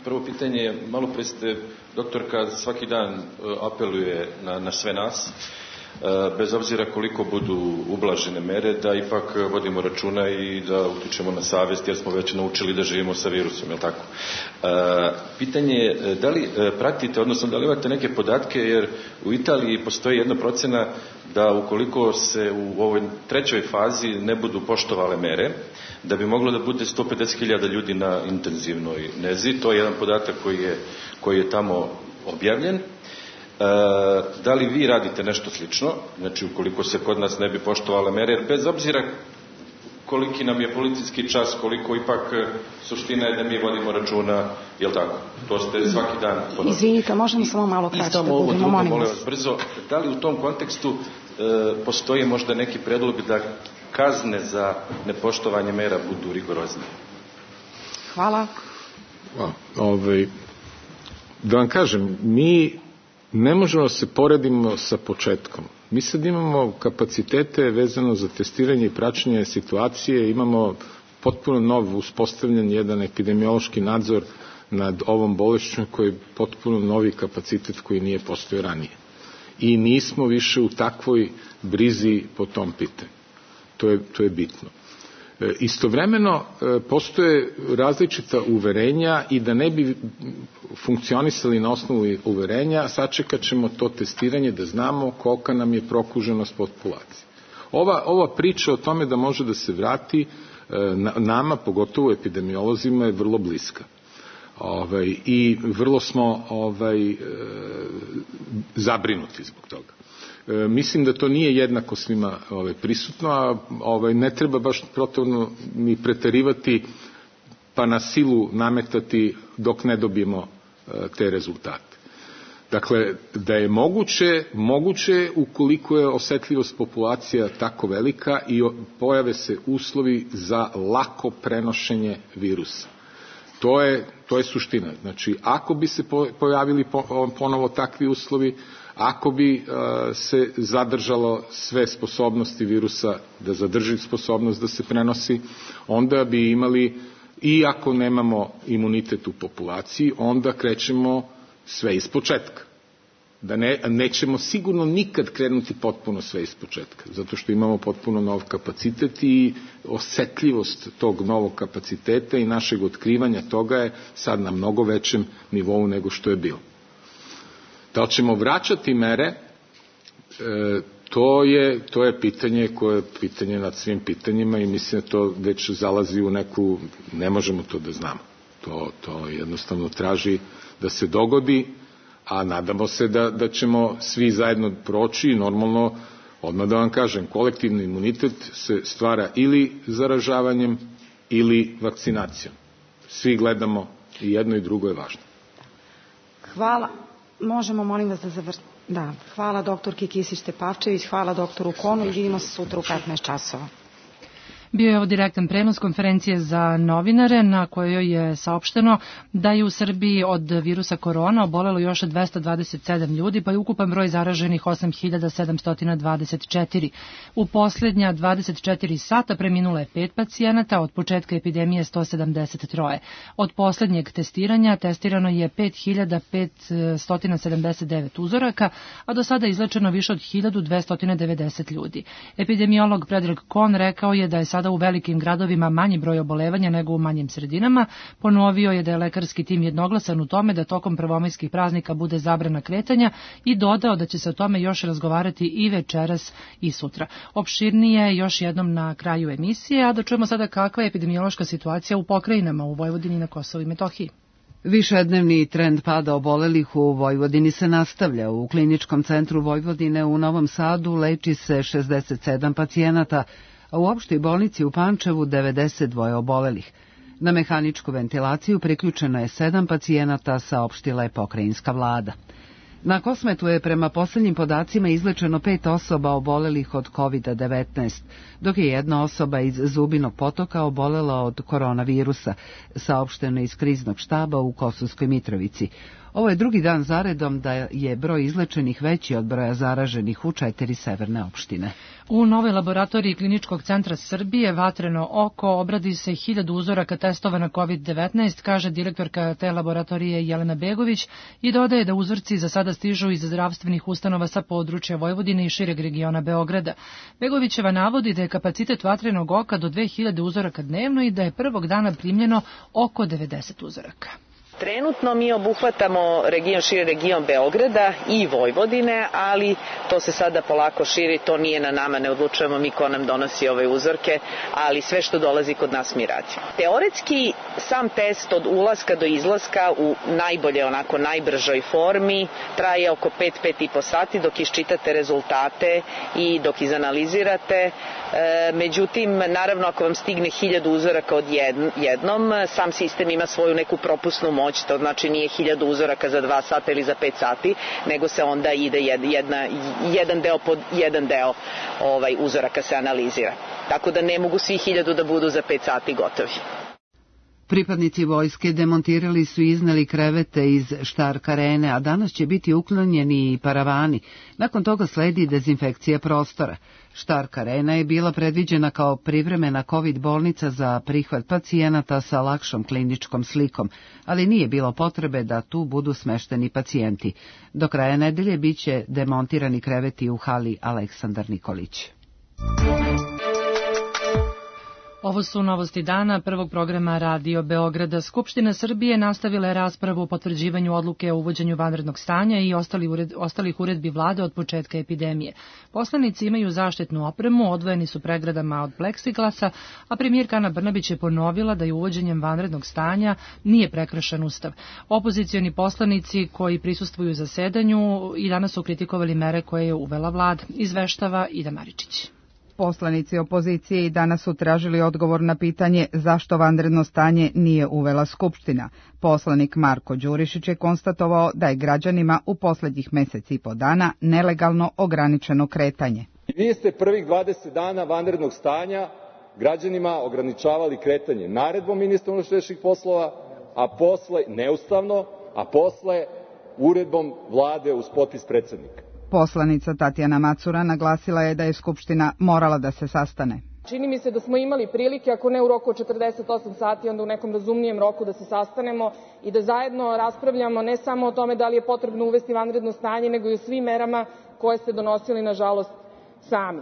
Prvo pitanje je, malo pre ste, doktorka svaki dan apeluje na sve nas, bez obzira koliko budu ublažene mere, da ipak vodimo računa i da utičemo na savest, jer smo već naučili da živimo sa virusom, je li tako? Pitanje je, da li pratite, odnosno da li imate neke podatke, jer u Italiji postoji jedna procena da ukoliko se u ovoj 3. fazi ne budu poštovale mere, da bi moglo da bude 150.000 ljudi na intenzivnoj nezi. To je jedan podatak koji je tamo objavljen. Da li vi radite nešto slično, znači ukoliko se kod nas ne bi poštovale mere, jer bez obzira koliki nam je policijski čas, koliko ipak suština je da mi vodimo računa, je li tako? To ste svaki dan ponovili. Izvinite, možemo samo malo kraće da budemo, molim vas. Brzo, da li u tom kontekstu postoji možda neki predlog da kazne za nepoštovanje mera budu rigoroznije? Hvala. Da vam kažem, mi ne možemo se poredimo sa početkom. Mi sad imamo kapacitete vezano za testiranje i praćenje situacije, imamo potpuno nov uspostavljen jedan epidemiološki nadzor nad ovom bolešću koji je potpuno novi kapacitet koji nije postojao ranije. I nismo više u takvoj brizi po tom pitanju. To je bitno. Istovremeno postoje različita uverenja i da ne bi funkcionisali na osnovu uverenja, sačekat ćemo to testiranje da znamo kolika nam je prokuženost populacije. Ova priča o tome da može da se vrati nama, pogotovo epidemiolozima, je vrlo bliska. I vrlo smo zabrinuti zbog toga. Mislim da to nije jednako svima prisutno, a ne treba baš protivno ni preterivati pa na silu nametati dok ne dobijemo te rezultate. Dakle, da je moguće ukoliko je osetljivost populacija tako velika i pojave se uslovi za lako prenošenje virusa. To je suština. Znači, ako bi se pojavili ponovo takvi uslovi, ako bi se zadržalo sve sposobnosti virusa da zadrži sposobnost da se prenosi, onda bi imali, i ako nemamo imunitet u populaciji, onda krećemo sve iz početka. Nećemo sigurno nikad krenuti potpuno sve iz početka, zato što imamo potpuno nov kapacitet i osetljivost tog novog kapaciteta i našeg otkrivanja toga je sad na mnogo većem nivou nego što je bilo. Da li ćemo vraćati mere, to je pitanje koje je pitanje nad svim pitanjima i mislim da to već zalazi u neku, ne možemo to da znamo. To jednostavno traži da se dogodi, a nadamo se da ćemo svi zajedno proći i normalno, odmah da vam kažem, kolektivni imunitet se stvara ili zaražavanjem ili vakcinacijom. Svi gledamo i jedno i drugo je važno. Hvala. Možemo, molim vas, da završimo. Da, hvala doktorki Kisić Tepavčević, hvala doktoru Konu i vidimo se sutra u 15 časova. Bio je ovo direktan prenos konferencije za novinare na kojoj je saopšteno da je u Srbiji od virusa korona obolelo još 227 ljudi, pa je ukupan broj zaraženih 8.724. U posljednja 24 sata preminulo je 5 pacijenata, od početka epidemije 173. Od posljednjeg testiranja testirano je 5.579 uzoraka, a do sada izlečeno više od 1.290 ljudi. Epidemiolog Predrag Kon rekao je da je sada u velikim gradovima manji broj obolevanja nego u manjim sredinama. Ponovio je da je lekarski tim jednoglasan u tome da tokom prvomajskih praznika bude zabrana kretanja i dodao da će se o tome još razgovarati i večeras i sutra. Opširnije još jednom na kraju emisije, a da čujemo sada kakva je epidemiološka situacija u pokrajinama u Vojvodini i na Kosovu i Metohiji. Višednevni trend pada obolelih u Vojvodini se nastavlja. U Kliničkom centru Vojvodine u Novom Sadu leči se 67 pacijenata, a u opštoj bolnici u Pančevu 92 obolelih. Na mehaničku ventilaciju priključeno je 7 pacijenata, saopštila je pokrajinska vlada. Na Kosmetu je prema poslednjim podacima izlečeno 5 osoba obolelih od COVID-19, dok je jedna osoba iz Zubinog Potoka obolela od koronavirusa, saopšteno iz kriznog štaba u Kosovskoj Mitrovici. Ovo je drugi dan zaredom da je broj izlečenih veći od broja zaraženih u 4 severne opštine. U novoj laboratoriji Kliničkog centra Srbije Vatreno oko obradi se 1000 uzoraka testova na COVID-19, kaže direktorka te laboratorije Jelena Begović i dodaje da uzorci za sada stižu iz zdravstvenih ustanova sa područja Vojvodine i šireg regiona Beograda. Begovićeva navodi da je kapacitet Vatrenog oka do 2000 uzoraka dnevno i da je prvog dana primljeno oko 90 uzoraka. Trenutno mi obuhvatamo širi region Beograda i Vojvodine, ali to se sada polako širi, to nije na nama, ne odlučujemo mi ko nam donosi ove uzorke, ali sve što dolazi kod nas mi radimo. Teoretski sam test od ulaska do izlaska u najbržoj formi traje oko 5-5,5 sati dok iščitate rezultate i dok izanalizirate. Međutim, naravno ako vam stigne 1000 uzoraka odjednom, sam sistem ima svoju neku propusnu moć, to znači nije 1000 uzoraka za 2 sata ili za 5 sati, nego se onda ide jedan deo pod jedan deo uzoraka se analizira. Tako da ne mogu svi 1000 da budu za 5 sati gotovi. Pripadnici vojske demontirali su i izneli krevete iz Stark arene, a danas će biti uklonjeni i paravani. Nakon toga sledi dezinfekcija prostora. Stark arena je bila predviđena kao privremena COVID bolnica za prihvat pacijenata sa lakšom kliničkom slikom, ali nije bilo potrebe da tu budu smešteni pacijenti. Do kraja nedelje biće demontirani kreveti u hali Aleksandar Nikolić. Ovo su novosti dana prvog programa Radio Beograda. Skupština Srbije nastavila je raspravu o potvrđivanju odluke o uvođenju vanrednog stanja i ostalih uredbi vlade od početka epidemije. Poslanici imaju zaštitnu opremu, odvojeni su pregradama od pleksiglasa, a premijerka Ana Brnabić je ponovila da je uvođenjem vanrednog stanja nije prekršen Ustav. Opozicioni poslanici koji prisustvuju zasedanju i danas su kritikovali mere koje je uvela vlada. Izveštava Ida Maričić. Poslanici opozicije i danas su tražili odgovor na pitanje zašto vanredno stanje nije uvela Skupština. Poslanik Marko Đurišić je konstatovao da je građanima u poslednjih meseci i po dana nelegalno ograničeno kretanje. Vi ste prvih 20 dana vanrednog stanja građanima ograničavali kretanje naredbom ministra unutrašnjih poslova, a posle neustavno, a posle uredbom vlade uz potpis predsednika. Poslanica Tatjana Macura naglasila je da je Skupština morala da se sastane. Čini mi se da smo imali prilike, ako ne u roku od 48 sati, onda u nekom razumnijem roku da se sastanemo i da zajedno raspravljamo ne samo o tome da li je potrebno uvesti vanredno stanje, nego i o svim merama koje ste donosili, nažalost, sami.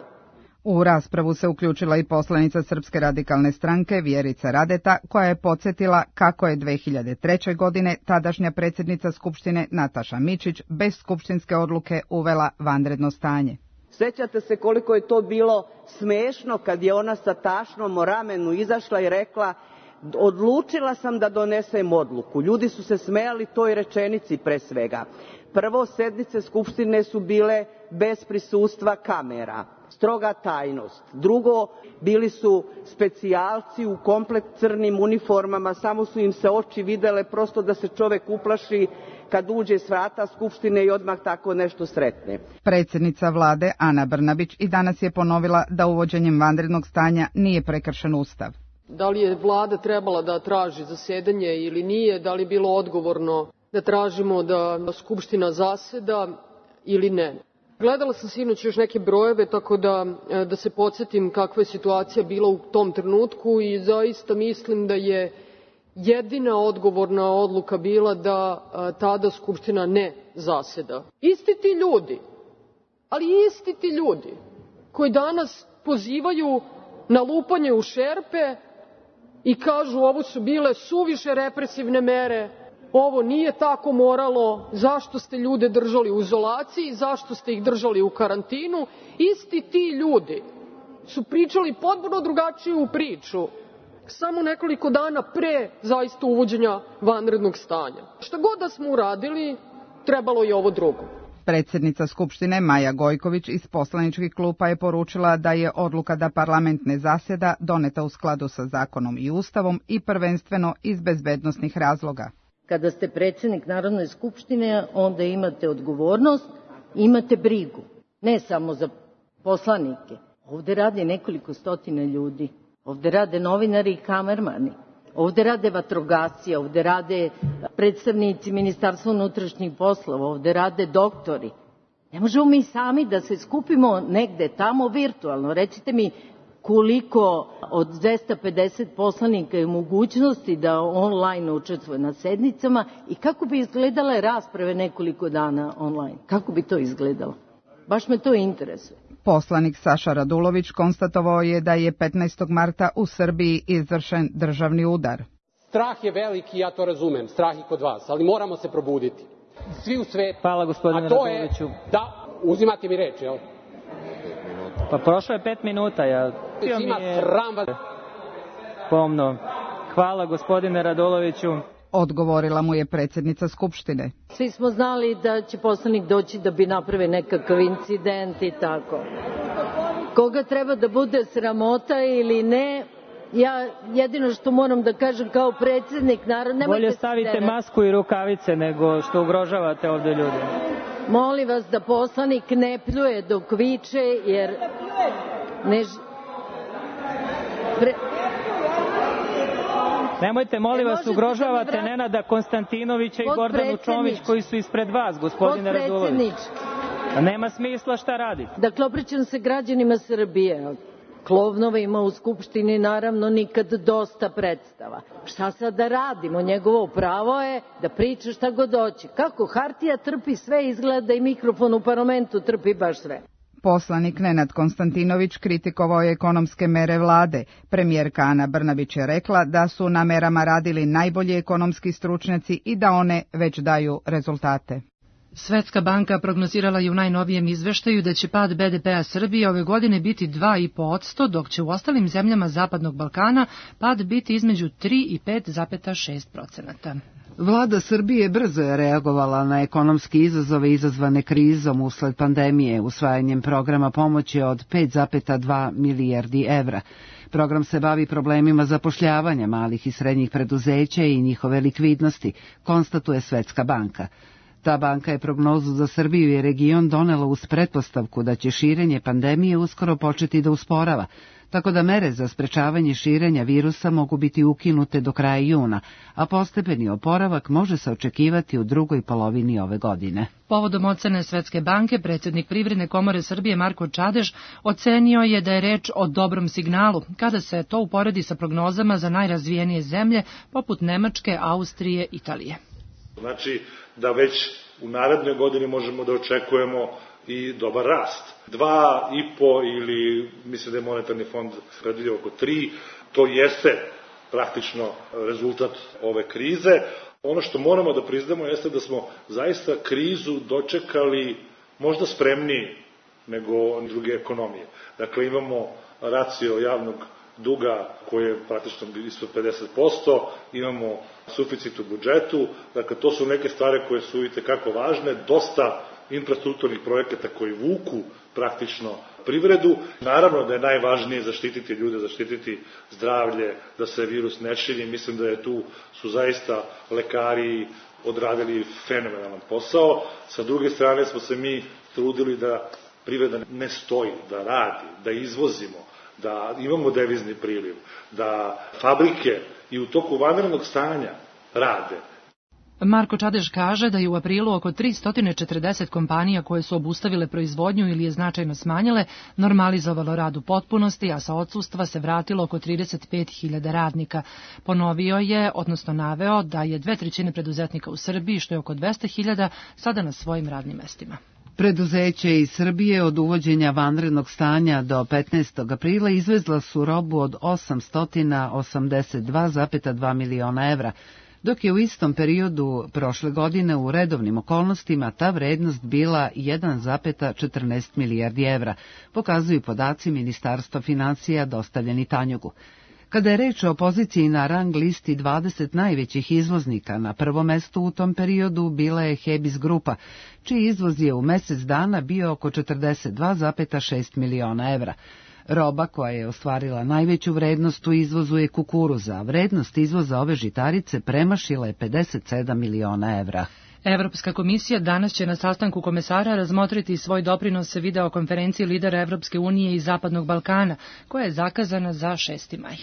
U raspravu se uključila i poslanica Srpske radikalne stranke Vjerica Radeta, koja je podsjetila kako je 2003. godine tadašnja predsjednica Skupštine Nataša Mićić bez skupštinske odluke uvela vanredno stanje. Sećate se koliko je to bilo smešno kad je ona sa tašnom o ramenu izašla i rekla: odlučila sam da donesem odluku. Ljudi su se smejali toj rečenici pre svega. Prvo, sednice Skupštine su bile bez prisustva kamera. Stroga tajnost. Drugo, bili su specijalci u komplet crnim uniformama, samo su im se oči videle, prosto da se čovek uplaši kad uđe s vrata Skupštine i odmah tako nešto sretne. Predsjednica vlade Ana Brnabić i danas je ponovila da uvođenjem vanrednog stanja nije prekršen Ustav. Da li je vlada trebala da traži zasedanje ili nije, da li je bilo odgovorno da tražimo da Skupština zaseda ili ne. Gledala sam sinoć još neke brojeve, tako da se podsjetim kakva je situacija bila u tom trenutku i zaista mislim da je jedina odgovorna odluka bila da tada Skupština ne zaseda. Isti ti ljudi, ali isti ti ljudi koji danas pozivaju na lupanje u šerpe i kažu ovo su bile suviše represivne mere, ovo nije tako moralo, zašto ste ljude držali u izolaciji, zašto ste ih držali u karantinu. Isti ti ljudi su pričali potpuno drugačiju priču samo nekoliko dana pre zaista uvođenja vanrednog stanja. Šta god da smo uradili, trebalo je ovo drugo. Predsjednica Skupštine Maja Gojković iz poslaničkih klupa je poručila da je odluka da parlament ne zasjeda doneta u skladu sa zakonom i Ustavom i prvenstveno iz bezbednosnih razloga. Kada ste predsjednik Narodne skupštine, onda imate odgovornost, imate brigu. Ne samo za poslanike. Ovde radi nekoliko stotina ljudi. Ovde rade novinari i kamermani. Ovde rade vatrogasci, ovde rade predstavnici Ministarstva unutrašnjih poslova, ovde rade doktori. Ne možemo mi sami da se skupimo negde tamo virtualno. Recite mi koliko od 250 poslanika je u mogućnosti da online učestvuje na sednicama i kako bi izgledale rasprave nekoliko dana online. Kako bi to izgledalo? Baš me to interesuje. Poslanik Saša Radulović konstatovao je da je 15. marta u Srbiji izvršen državni udar. Strah je veliki, ja to razumem, strah i kod vas, ali moramo se probuditi. Svi u svetu. Hvala gospodine Raduloviću. Da, uzimate mi reč, jel? Pa prošlo je 5 minuta, ja... Ima sram vas. Pomno. Hvala gospodine Raduloviću. Odgovorila mu je predsjednica Skupštine. Svi smo znali da će poslanik doći da bi napravio nekakav incident i tako. Koga treba da bude sramota ili ne, ja jedino što moram da kažem kao predsjednik narodne... Bolje stavite masku i rukavice nego što ugrožavate ovde ljude. Molim vas da poslanik ne pljuje dok viče, jer... Nemojte, molim vas, ugrožavate Nenada Konstantinovića i Gordanu Čomić koji su ispred vas, gospodine Radulović. Nema smisla šta radite. Dakle, obraćam se građanima Srbije. Klovnova ima u Skupštini, naravno, nikad dosta predstava. Šta sad da radimo? Njegovo pravo je da priča šta god hoće. Kako hartija trpi sve, izgleda i mikrofon u parlamentu trpi baš sve. Poslanik Nenad Konstantinović kritikovao je ekonomske mere vlade. Premijerka Ana Brnabić je rekla da su na merama radili najbolji ekonomski stručnjaci i da one već daju rezultate. Svetska banka prognozirala je u najnovijem izveštaju da će pad BDP-a Srbije ove godine biti 2,5%, dok će u ostalim zemljama Zapadnog Balkana pad biti između 3 i 5,6%. Vlada Srbije brzo je reagovala na ekonomski izazove izazvane krizom usled pandemije usvajanjem programa pomoći od 5,2 milijardi evra. Program se bavi problemima zapošljavanja malih i srednjih preduzeća i njihove likvidnosti, konstatuje Svetska banka. Ta banka je prognozu za Srbiju i region donela uz pretpostavku da će širenje pandemije uskoro početi da usporava, tako da mere za sprečavanje širenja virusa mogu biti ukinute do kraja juna, a postepeni oporavak može se očekivati u drugoj polovini ove godine. Povodom ocene Svetske banke, predsjednik Privredne komore Srbije Marko Čadež ocenio je da je reč o dobrom signalu, kada se to uporedi sa prognozama za najrazvijenije zemlje poput Nemačke, Austrije, Italije. Znači da već u narednoj godini možemo da očekujemo i dobar rast. 2,5 ili mislim da je monetarni fond predvidio oko 3, to jeste praktično rezultat ove krize. Ono što moramo da priznamo jeste da smo zaista krizu dočekali možda spremniji nego druge ekonomije. Dakle, imamo racio javnog duga koji je praktično ispod 50%, imamo suficit u budžetu, dakle to su neke stvari koje su itekako važne, dosta infrastrukturnih projekata koji vuku praktično privredu. Naravno da je najvažnije zaštititi ljude, zaštititi zdravlje, da se virus ne širi. Mislim da je tu su zaista lekari odradili fenomenalan posao. Sa druge strane smo se mi trudili da privreda ne stoji, da radi, da izvozimo, da imamo devizni priliv, da fabrike i u toku vanrednog stanja rade. Marko Čadež kaže da je u aprilu oko 340 kompanija koje su obustavile proizvodnju ili je značajno smanjile normalizovalo rad u potpunosti, a sa odsustva se vratilo oko 35.000 radnika. Ponovio je, odnosno naveo, da je 2/3 preduzetnika u Srbiji, što je oko 200.000, sada na svojim radnim mestima. Preduzeće iz Srbije od uvođenja vanrednog stanja do 15. aprila izvezla su robu od 882,2 miliona evra, dok je u istom periodu prošle godine u redovnim okolnostima ta vrednost bila 1,14 milijardi evra, pokazuju podaci Ministarstva finansija dostavljeni Tanjugu. Kada je reč o poziciji na rang listi 20 najvećih izvoznika, na prvom mestu u tom periodu bila je Hebis grupa, čiji izvoz je u mesec dana bio oko 42,6 miliona evra. Roba koja je ostvarila najveću vrednost u izvozu je kukuruza, a vrednost izvoza ove žitarice premašila je 57 miliona evra. Evropska komisija danas će na sastanku komesara razmotriti svoj doprinos videokonferenciji lidera Evropske unije i Zapadnog Balkana, koja je zakazana za 6. maj.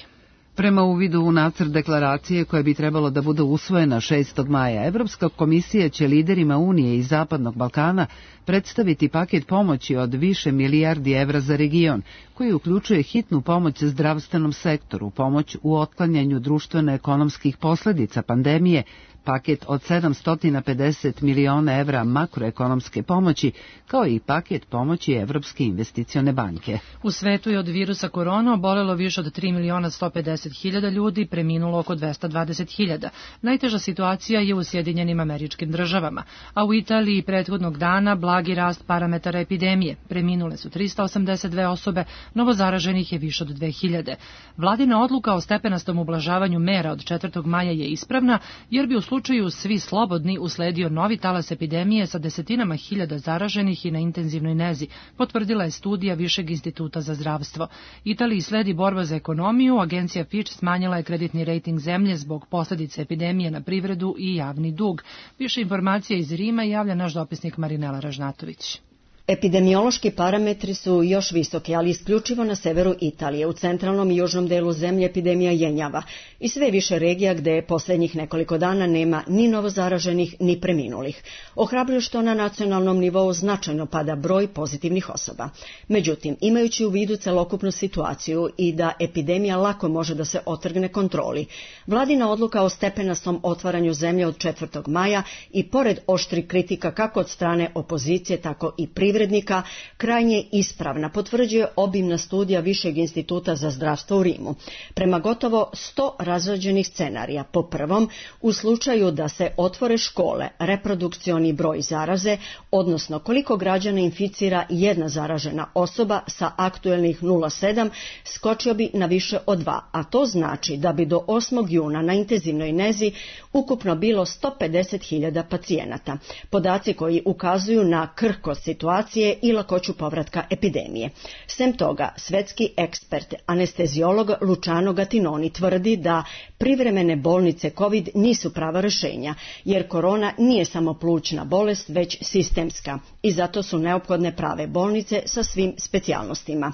Prema uvidu u nacrt deklaracije koja bi trebalo da bude usvojena 6. maja, Evropska komisija će liderima Unije i Zapadnog Balkana predstaviti paket pomoći od više milijardi evra za region, koji uključuje hitnu pomoć zdravstvenom sektoru, pomoć u otklanjanju društveno-ekonomskih posledica pandemije, paket od 750 miliona evra makroekonomske pomoći, kao i paket pomoći Evropske investicione banke. U svetu je od virusa korona obolelo više od 3.150.000 ljudi, preminulo oko 220.000. Najteža situacija je u Sjedinjenim Američkim Državama, a u Italiji prethodnog dana blagi rast parametara epidemije. Preminule su 382 osobe, novozaraženih je više od 2.000. Vladina odluka o stepenastom ublažavanju mera od 4. maja je ispravna, jer bi u slučaju svi slobodni usledio novi talas epidemije sa desetinama hiljada zaraženih i na intenzivnoj nezi, potvrdila je studija Višeg instituta za zdravstvo. Italiji sledi borba za ekonomiju, agencija Fitch smanjila je kreditni rejting zemlje zbog posljedice epidemije na privredu i javni dug. Više informacija iz Rima javlja naš dopisnik Marinela Ražnatović. Epidemiološki parametri su još visoki, ali isključivo na severu Italije. U centralnom i južnom delu zemlje epidemija jenjava i sve više regija gde poslednjih nekoliko dana nema ni novozaraženih ni preminulih. Ohrabruju što na nacionalnom nivou značajno pada broj pozitivnih osoba. Međutim, imajući u vidu celokupnu situaciju i da epidemija lako može da se otrgne kontroli, vladina odluka o stepenastom otvaranju zemlje od 4. maja i pored oštrih kritika kako od strane opozicije, tako i privrednika, krajnje ispravna, potvrđuje obimna studija Višeg instituta za zdravstvo u Rimu. Prema gotovo 100 razrađenih scenarija, po prvom, u slučaju da se otvore škole, reprodukcioni broj zaraze, odnosno koliko građana inficira jedna zaražena osoba sa aktuelnih 0,7, skočio bi na više od 2, a to znači da bi do 8. juna na intenzivnoj nezi ukupno bilo 150.000 pacijenata. Podaci koji ukazuju na krhkost situacije i lakoću povratka epidemije. Sem toga, svetski ekspert, anesteziolog Luciano Gattinoni tvrdi da privremene bolnice COVID nisu prava rešenja, jer korona nije samo plućna bolest, već sistemska i zato su neophodne prave bolnice sa svim specijalnostima.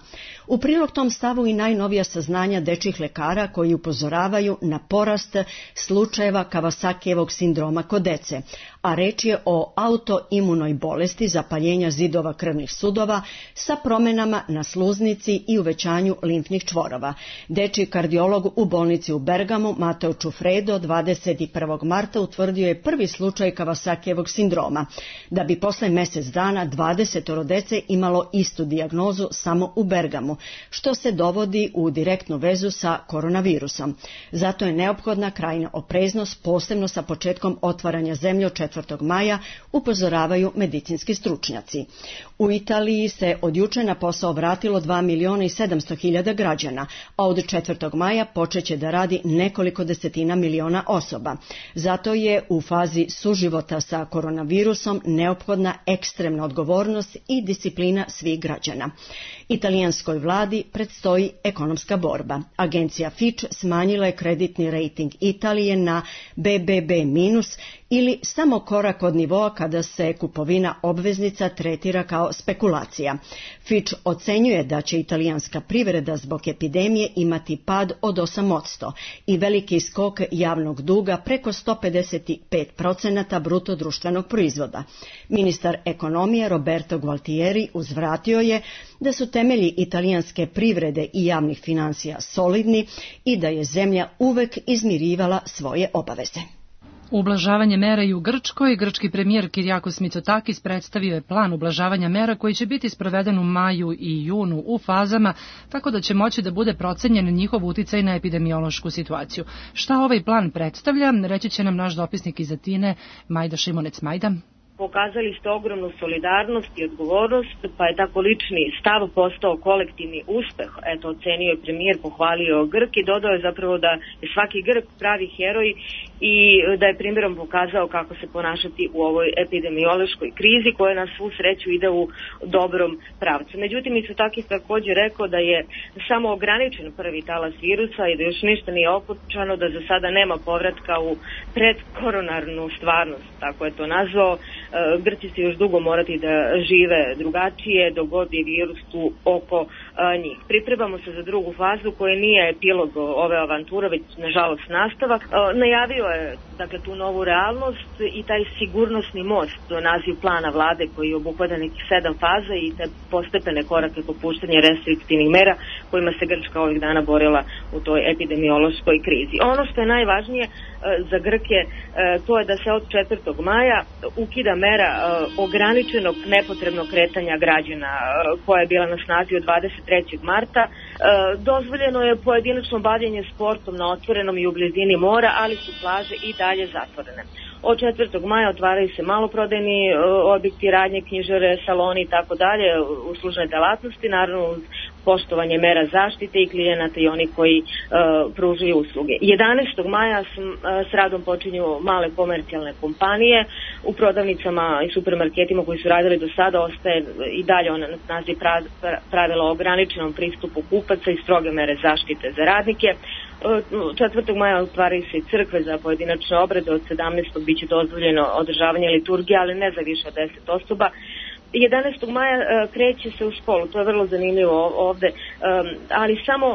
U prilog tom stavu i najnovija saznanja dečjih lekara koji upozoravaju na porast slučajeva Kawasakijevog sindroma kod dece, a reč je o autoimunoj bolesti zapaljenja zidova krvnih sudova sa promenama na sluznici i uvećanju limfnih čvorova. Dečji kardiolog u bolnici u Bergamu, Mateo Čufredo, 21. marta utvrdio je prvi slučaj Kawasakijevog sindroma, da bi posle mesec dana 20 dece imalo istu dijagnozu samo u Bergamu, što se dovodi u direktnu vezu sa koronavirusom. Zato je neophodna krajnja opreznost, posebno sa početkom otvaranja zemlje od 4. maja, upozoravaju medicinski stručnjaci. U Italiji se od juče na posao vratilo 2.700.000 građana, a od 4. maja počeće da radi nekoliko desetina miliona osoba. Zato je u fazi suživota sa koronavirusom neophodna ekstremna odgovornost i disciplina svih građana. Italijanskoj vladi predstoji ekonomska borba. Agencija Fitch smanjila je kreditni rejting Italije na BBB- ili samo korak od nivoa kada se kupovina obveznica tretira kao spekulacija. Fitch ocenjuje da će italijanska privreda zbog epidemije imati pad od 8% i veliki skok javnog duga preko 155% bruto društvenog proizvoda. Ministar ekonomije Roberto Gualtieri uzvratio je da su temelji italijanske privrede i javnih finansija solidni i da je zemlja uvek izmirivala svoje obaveze. Ublažavanje mera i u Grčkoj, grčki premijer Kyriakos Mitsotakis predstavio je plan ublažavanja mera koji će biti sproveden u maju i junu u fazama, tako da će moći da bude procenjen njihov uticaj na epidemiološku situaciju. Šta ovaj plan predstavlja, reći će nam naš dopisnik iz Atine, Majda Šimonec. Majda. Pokazali ste ogromnu solidarnost i odgovornost, pa je tako lični stav postao kolektivni uspeh. Eto, ocenio je premijer, pohvalio Grk i dodao je zapravo da je svaki Grk pravi heroj i da je primjerom pokazao kako se ponašati u ovoj epidemiološkoj krizi koja na svu sreću ide u dobrom pravcu. Međutim, Mitsotakis također rekao da je samo ograničen prvi talas virusa i da još ništa nije okončano, da za sada nema povratka u predkoronarnu stvarnost, tako je to nazvao. Grci će još dugo morati da žive drugačije dok god je virus tu oko njih. Pripremamo se za drugu fazu koja nije epilog ove avanture, već nažalost nastavak. Najavio je dakle tu novu realnost i taj sigurnosni most, naziv plana vlade koji obuhvata nekih 7 faza i te postepene korake popuštanja restriktivnih mera kojima se Grčka ovih dana borila u toj epidemiološkoj krizi. Ono što je najvažnije za Grke to je da se od 4. maja ukida mera ograničenog nepotrebnog kretanja građana koja je bila na snazi od 23. marta. Dozvoljeno je pojedinačno bavljenje sportom na otvorenom i u blizini mora, ali su plaže i dalje zatvorene. Od 4. maja otvaraju se maloprodajni objekti, radnje, knjižare, saloni i tako dalje, uslužne delatnosti, naravno uz poštovanje mera zaštite i klijenata i oni koji pružaju usluge. 11. maja s radom počinju male komercijalne kompanije. U prodavnicama i supermarketima koji su radili do sada ostaje i dalje na snazi pravila o ograničenom pristupu kupaca i stroge mere zaštite za radnike. 4. maja otvaraju se i crkve za pojedinačne obrede, od 17. biće dozvoljeno održavanje liturgije, ali ne za više od 10 osoba. 11. maja kreće se u školu, to je vrlo zanimljivo ovde, ali samo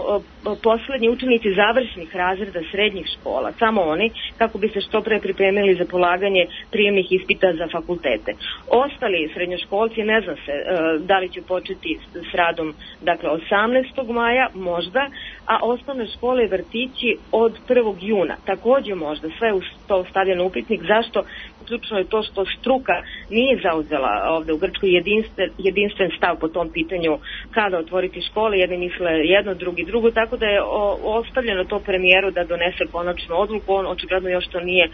poslednji učenici završnih razreda srednjih škola, samo oni, kako bi se što pre pripremili za polaganje prijemnih ispita za fakultete. Ostali srednjoškolci ne zna se da li će početi s radom, dakle 18. maja možda, a osnovne škole i vrtići od 1. juna. Takođe možda, sve u to stavljeno upitnik. Zašto? Ključno je to što struka nije zauzela ovde u Grčkoj jedinstven stav po tom pitanju kada otvoriti škole, jedni misle jedno, drugi drugo, tako da je ostavljeno to premijeru da donese konačnu odluku, on očigledno još to nije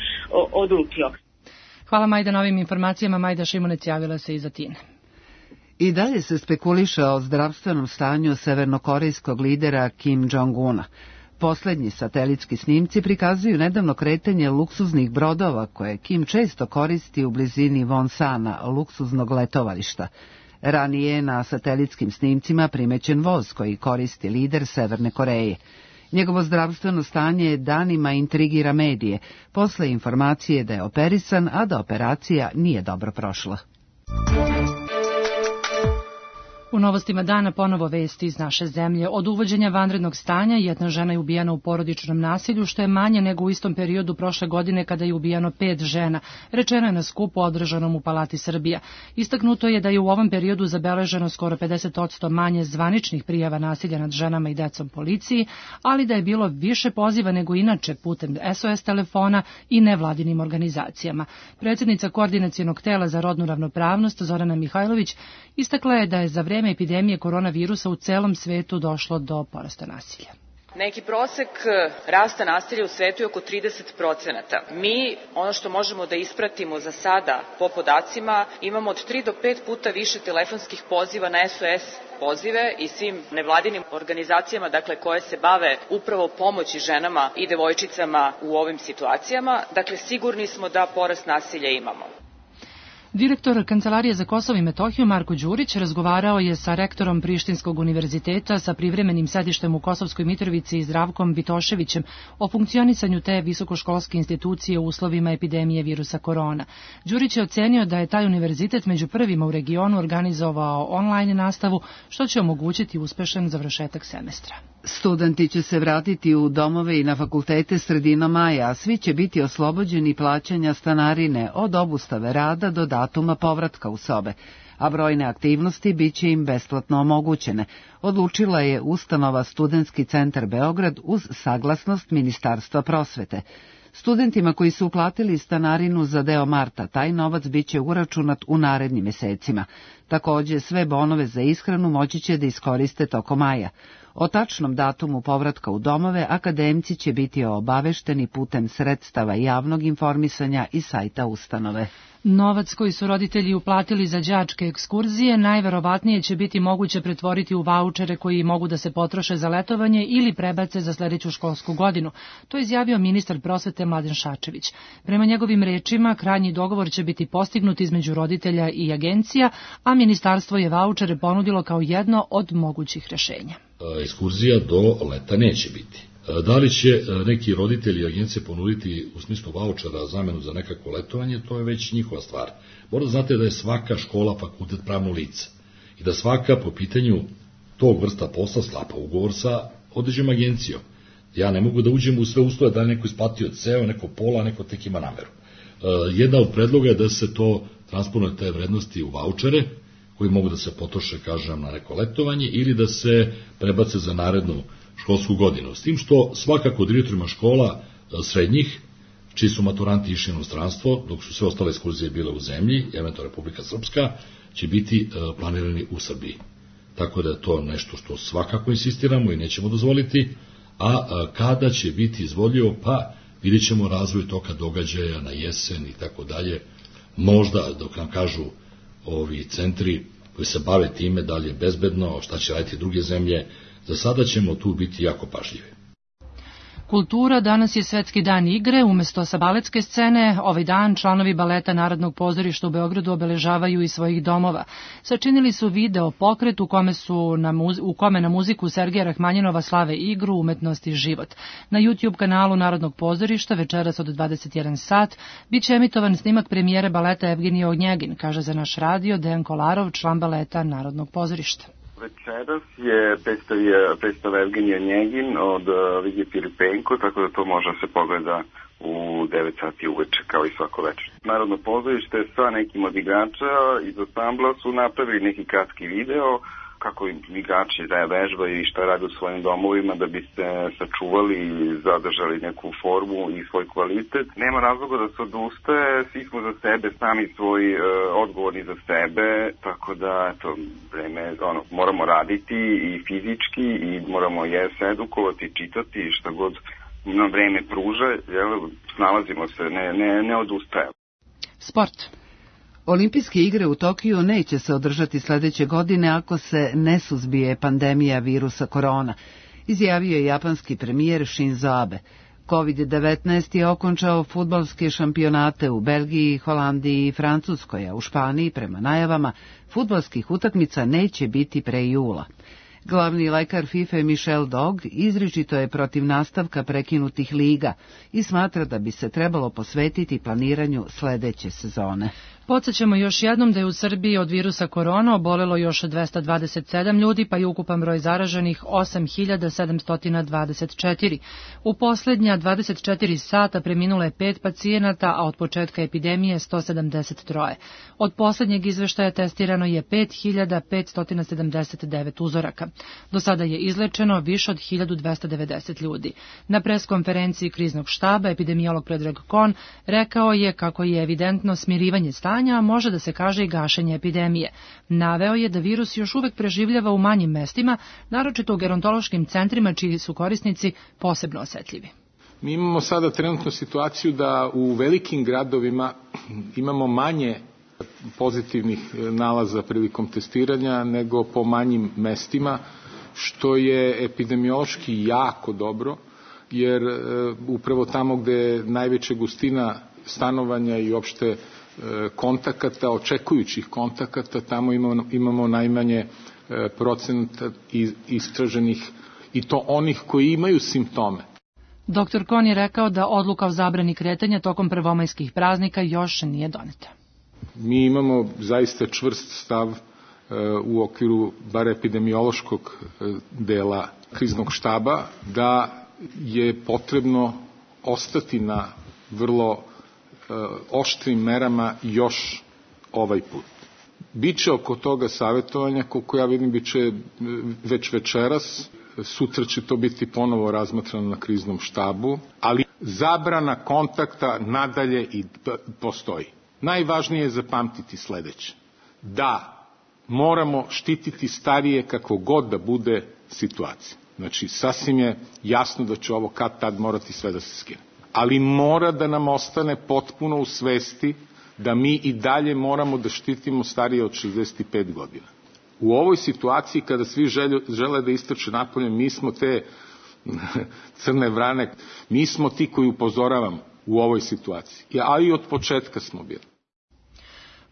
odlučio. Hvala Majda na ovim informacijama. Majda Šimunec javila se iz Atine. I dalje se spekuliše o zdravstvenom stanju severnokorejskog lidera Kim Jong-una. Poslednji satelitski snimci prikazuju nedavno kretanje luksuznih brodova koje Kim često koristi u blizini Wonsana, luksuznog letovališta. Ranije je na satelitskim snimcima primećen voz koji koristi lider Severne Koreje. Njegovo zdravstveno stanje danima intrigira medije, posle informacije da je operisan, a da operacija nije dobro prošla. U novostima dana ponovo vesti iz naše zemlje. Od uvođenja vanrednog stanja jedna žena je ubijena u porodičnom nasilju, što je manje nego u istom periodu prošle godine kada je ubijeno 5 žena. Rečeno je na skupu održanom u Palati Srbija. Istaknuto je da je u ovom periodu zabeleženo skoro 50% manje zvaničnih prijava nasilja nad ženama i decom policiji, ali da je bilo više poziva nego inače putem SOS telefona i nevladinim organizacijama. Predsjednica Koordinacionog tela za rodnu ravnopravnost Zorana Mihajlović istakla je da je za vreme epidemije koronavirusa u celom svetu došlo do porasta nasilja. Neki prosek rasta nasilja u svetu je oko 30%. Mi, ono što možemo da ispratimo za sada po podacima, imamo od 3 do 5 puta više telefonskih poziva na SOS pozive i svim nevladinim organizacijama, dakle, koje se bave upravo pomoći ženama i devojčicama u ovim situacijama. Dakle, sigurni smo da porast nasilja imamo. Direktor Kancelarije za Kosovo i Metohiju Marko Đurić razgovarao je sa rektorom Prištinskog univerziteta sa privremenim sedištem u Kosovskoj Mitrovici i Zdravkom Vitoševićem o funkcionisanju te visokoškolske institucije u uslovima epidemije virusa korona. Đurić je ocenio da je taj univerzitet među prvima u regionu organizovao online nastavu, što će omogućiti uspešan završetak semestra. Studenti će se vratiti u domove i na fakultete sredinom maja, a svi će biti oslobođeni plaćanja stanarine od obustave rada do datuma povratka u sobe, a brojne aktivnosti biće im besplatno omogućene, odlučila je ustanova Studentski centar Beograd uz saglasnost Ministarstva prosvete. Studentima koji su uplatili stanarinu za deo marta, taj novac biće uračunat u narednim mesecima. Takođe, sve bonove za ishranu moći će da iskoriste tokom maja. O tačnom datumu povratka u domove akademci će biti obavešteni putem sredstava javnog informisanja i sajta ustanove. Novac koji su roditelji uplatili za đačke ekskurzije najverovatnije će biti moguće pretvoriti u vaučere koji mogu da se potroše za letovanje ili prebace za sledeću školsku godinu. To je izjavio ministar prosvete Mladen Šačević. Prema njegovim rečima, krajnji dogovor će biti postignut između roditelja i agencija, a ministarstvo je vaučere ponudilo kao jedno od mogućih rešenja. Ekskurzija do leta neće biti. Da li će neki roditelji i agencije ponuditi u smislu vaučera zamenu za nekako letovanje, to je već njihova stvar. Morate znate da je svaka škola fakultet pravno lice i da svaka po pitanju tog vrsta posla sklapa ugovor sa određenom agencijom. Ja ne mogu da uđem u sve uslove da je neko isplatio ceo, neko pola, neko tek ima nameru. Jedna od predloga je da se to transponuje te vrednosti u vaučere, koji mogu da se potroše, kažem, na neko letovanje ili da se prebace za narednu školsku godinu. S tim što svakako direktorima škola srednjih, čiji su maturanti išli u inostranstvo, dok su sve ostale ekskurzije bile u zemlji, eventualno Republika Srpska, će biti planirani u Srbiji. Tako da je to nešto što svakako insistiramo i nećemo dozvoliti, a kada će biti izvodljivo, pa vidjet ćemo razvoj toka događaja na jesen i tako dalje. Možda, dok nam kažu ovi centri koji se bave time, da li je bezbedno, šta će raditi druge zemlje, za sada ćemo tu biti jako pažljivi. Kultura, danas je Svetski dan igre, umesto sa baletske scene, ovaj dan članovi baleta Narodnog pozorišta u Beogradu obeležavaju iz svojih domova. Sačinili su video pokret u kome na muziku Sergeja Rahmanjinova slave igru, umetnost i život. Na YouTube kanalu Narodnog pozorišta večeras od 21 sat biće emitovan snimak premijere baleta Evgenije Ognjegin, kaže za naš radio Dejan Kolarov, član baleta Narodnog pozorišta. Večeras je predstava Evgenija Njegin od Vigije Filipenko, tako da to može se pogleda u 9 sati uveče, kao i svako večer. Narodno pozorište sa nekim od igrača iz ansambla su napravili neki kratki video kako igrači vežbaju i šta rade u svojim domovima da bi se sačuvali i zadržali neku formu i svoj kvalitet. Nema razloga da se odustaje, svi smo za sebe, sami svoji odgovorni za sebe, tako da eto, moramo raditi i fizički i moramo se edukovati, čitati šta god nam vreme pruža, snalazimo se, ne odustajemo. Sport. Olimpijske igre u Tokiju neće se održati sledeće godine ako se ne suzbije pandemija virusa korona, izjavio je japanski premijer Shinzo Abe. COVID-19 je okončao fudbalske šampionate u Belgiji, Holandiji i Francuskoj, a u Španiji, prema najavama, fudbalskih utakmica neće biti pre jula. Glavni lekar FIFA Michel Dog izričito je protiv nastavka prekinutih liga i smatra da bi se trebalo posvetiti planiranju sledeće sezone. Podsećamo još jednom da je u Srbiji od virusa korona obolelo još 227 ljudi, pa je ukupan broj zaraženih 8.724. U poslednja 24 sata preminulo je 5 pacijenata, a od početka epidemije 173. Od poslednjeg izveštaja testirano je 5.579 uzoraka. Do sada je izlečeno više od 1.290 ljudi. Na preskonferenciji kriznog štaba epidemiolog Predrag Kon rekao je kako je evidentno smirivanje stanja, a može da se kaže i gašenje epidemije. Naveo je da virus još uvek preživljava u manjim mestima, naročito u gerontološkim centrima čiji su korisnici posebno osetljivi. Mi imamo sada trenutnu situaciju da u velikim gradovima imamo manje pozitivnih nalaza prilikom testiranja nego po manjim mestima, što je epidemiološki jako dobro, jer upravo tamo gde je najveća gustina stanovanja i opšte kontakata, očekujućih kontakata, tamo imamo najmanje procenta istraženih i to onih koji imaju simptome. Dr. Kon je rekao da odluka o zabrani kretanja tokom prvomajskih praznika još nije doneta. Mi imamo zaista čvrst stav u okviru bar epidemiološkog dela kriznog štaba da je potrebno ostati na vrlo oštrim merama još ovaj put. Biće oko toga savjetovanja, koliko ja vidim, biće već večeras, sutra će to biti ponovo razmatrano na kriznom štabu, ali zabrana kontakta nadalje i postoji. Najvažnije je zapamtiti sledeće. Da, moramo štititi starije kako god da bude situacija. Znači, sasvim je jasno da će ovo kad tad morati sve da se skine. Ali mora da nam ostane potpuno u svesti da mi i dalje moramo da štitimo starije od 65 godina. U ovoj situaciji kada svi žele da istrče napolje, mi smo te crne vrane, mi smo ti koji upozoravamo u ovoj situaciji, a i od početka smo bili.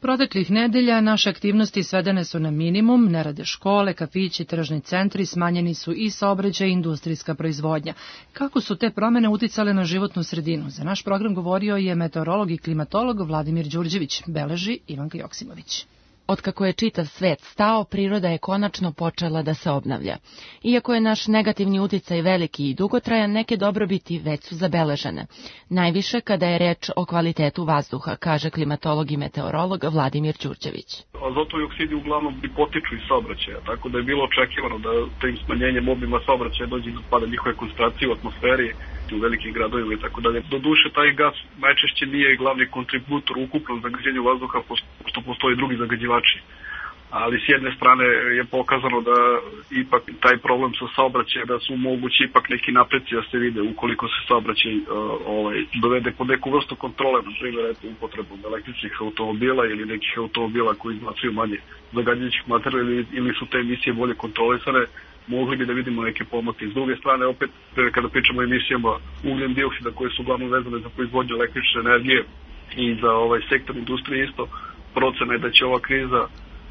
Proteklih nedelja naše aktivnosti svedene su na minimum, ne rade škole, kafići, tržni centri, smanjeni su i saobraćaj i industrijska proizvodnja. Kako su te promene uticale na životnu sredinu? Za naš program govorio je meteorolog i klimatolog Vladimir Đurđević, beleži Ivanka Joksimović. Otkako je čitav svet stao, priroda je konačno počela da se obnavlja. Iako je naš negativni uticaj veliki i dugotrajan, neke dobrobiti već su zabeležene. Najviše kada je reč o kvalitetu vazduha, kaže klimatolog i meteorolog Vladimir Đurđević. Azotovi oksidi uglavnom potiču iz saobraćaja, tako da je bilo očekivano da tim smanjenjem obima saobraćaja dođe do pada njihove koncentracije u atmosferi u velikim gradovima i tako dalje. Doduše, taj gas najčešće nije glavni kontributor u ukupnom zagađenju vazduha, što postoji drugi zagađivači. Ali s jedne strane je pokazano da ipak taj problem sa saobraćajem, da su mogući ipak neki napreci da se vide ukoliko se saobraćaj dovede pod neku vrstu kontrole, na primjer upotrebom električnih automobila ili nekih automobila koji izbacuju manje zagađujućih materijala ili su te emisije bolje kontrolisane, mogli bi da vidimo neke pomake. S druge strane, opet, kada pričamo o emisijama ugljen dioksida koje su uglavnom vezane za proizvodnju električne energije i za sektor industrije isto, procena je da će ova kriza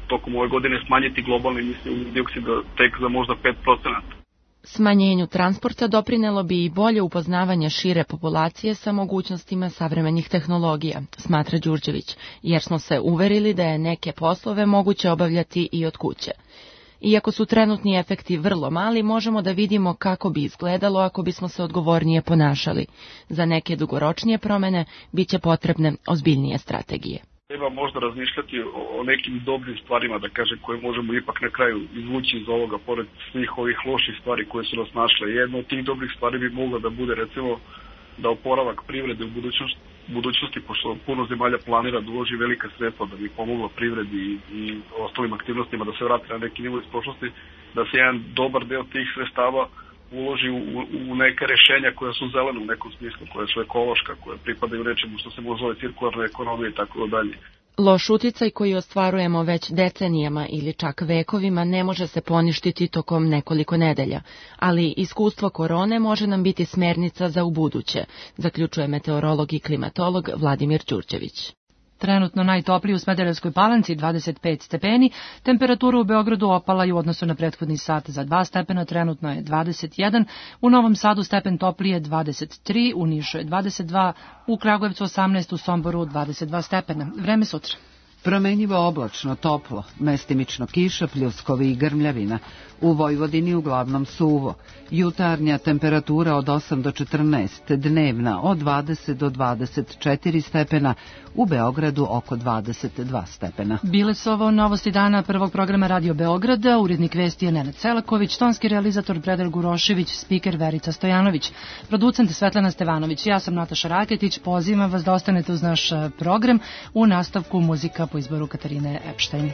tokom ove godine smanjiti globalne emisije ugljen dioksida tek za možda 5%. Smanjenju transporta doprinelo bi i bolje upoznavanje šire populacije sa mogućnostima savremenih tehnologija, smatra Đurđević, jer smo se uverili da je neke poslove moguće obavljati i od kuće. Iako su trenutni efekti vrlo mali, možemo da vidimo kako bi izgledalo ako bismo se odgovornije ponašali. Za neke dugoročnije promene biće potrebne ozbiljnije strategije. Treba možda razmišljati o nekim dobrim stvarima, da kažem, koje možemo ipak na kraju izvući iz ovoga, pored svih ovih loših stvari koje su nas našle. Jedna od tih dobrih stvari bi mogla da bude, recimo, da oporavak privrede u budućnosti, pošto puno zemalja planira da uloži velika sredstva da bi pomogla privredi i ostalim aktivnostima da se vrati na neki nivo iz prošlosti, da se jedan dobar deo tih sredstava uloži u neka rešenja koja su zelena u nekom smislu, koja su ekološka, koja pripadaju nečemu što se može zove cirkularna ekonomija i tako dalje. Loš uticaj koji ostvarujemo već decenijama ili čak vekovima ne može se poništiti tokom nekoliko nedelja, ali iskustvo korone može nam biti smernica za ubuduće, zaključuje meteorolog i klimatolog Vladimir Đurđević. Trenutno najtopliji u Smederevskoj Palanci 25 stepeni, temperatura u Beogradu opala i u odnosu na prethodni sat za 2 stepena, trenutno je 21, u Novom Sadu stepen toplije 23, u Nišu je 22, u Kragujevcu 18, u Somboru 22 stepena. Vreme sutra. Promenjivo oblačno, toplo, mestimično kiša, pljuskovi i grmljavina. U Vojvodini uglavnom suvo. Jutarnja temperatura od 8 do 14, dnevna od 20 do 24 stepena, u Beogradu oko 22 stepena. Bile su ovo novosti dana prvog programa Radio Beograda, urednik vesti je Nenad Selaković, tonski realizator Predrag Urošević, spiker Verica Stojanović, producent Svetlana Stevanović. Ja sam Nataša Raketić, pozivam vas da ostanete uz naš program, u nastavku muzika po izboru Katarine Epštajn.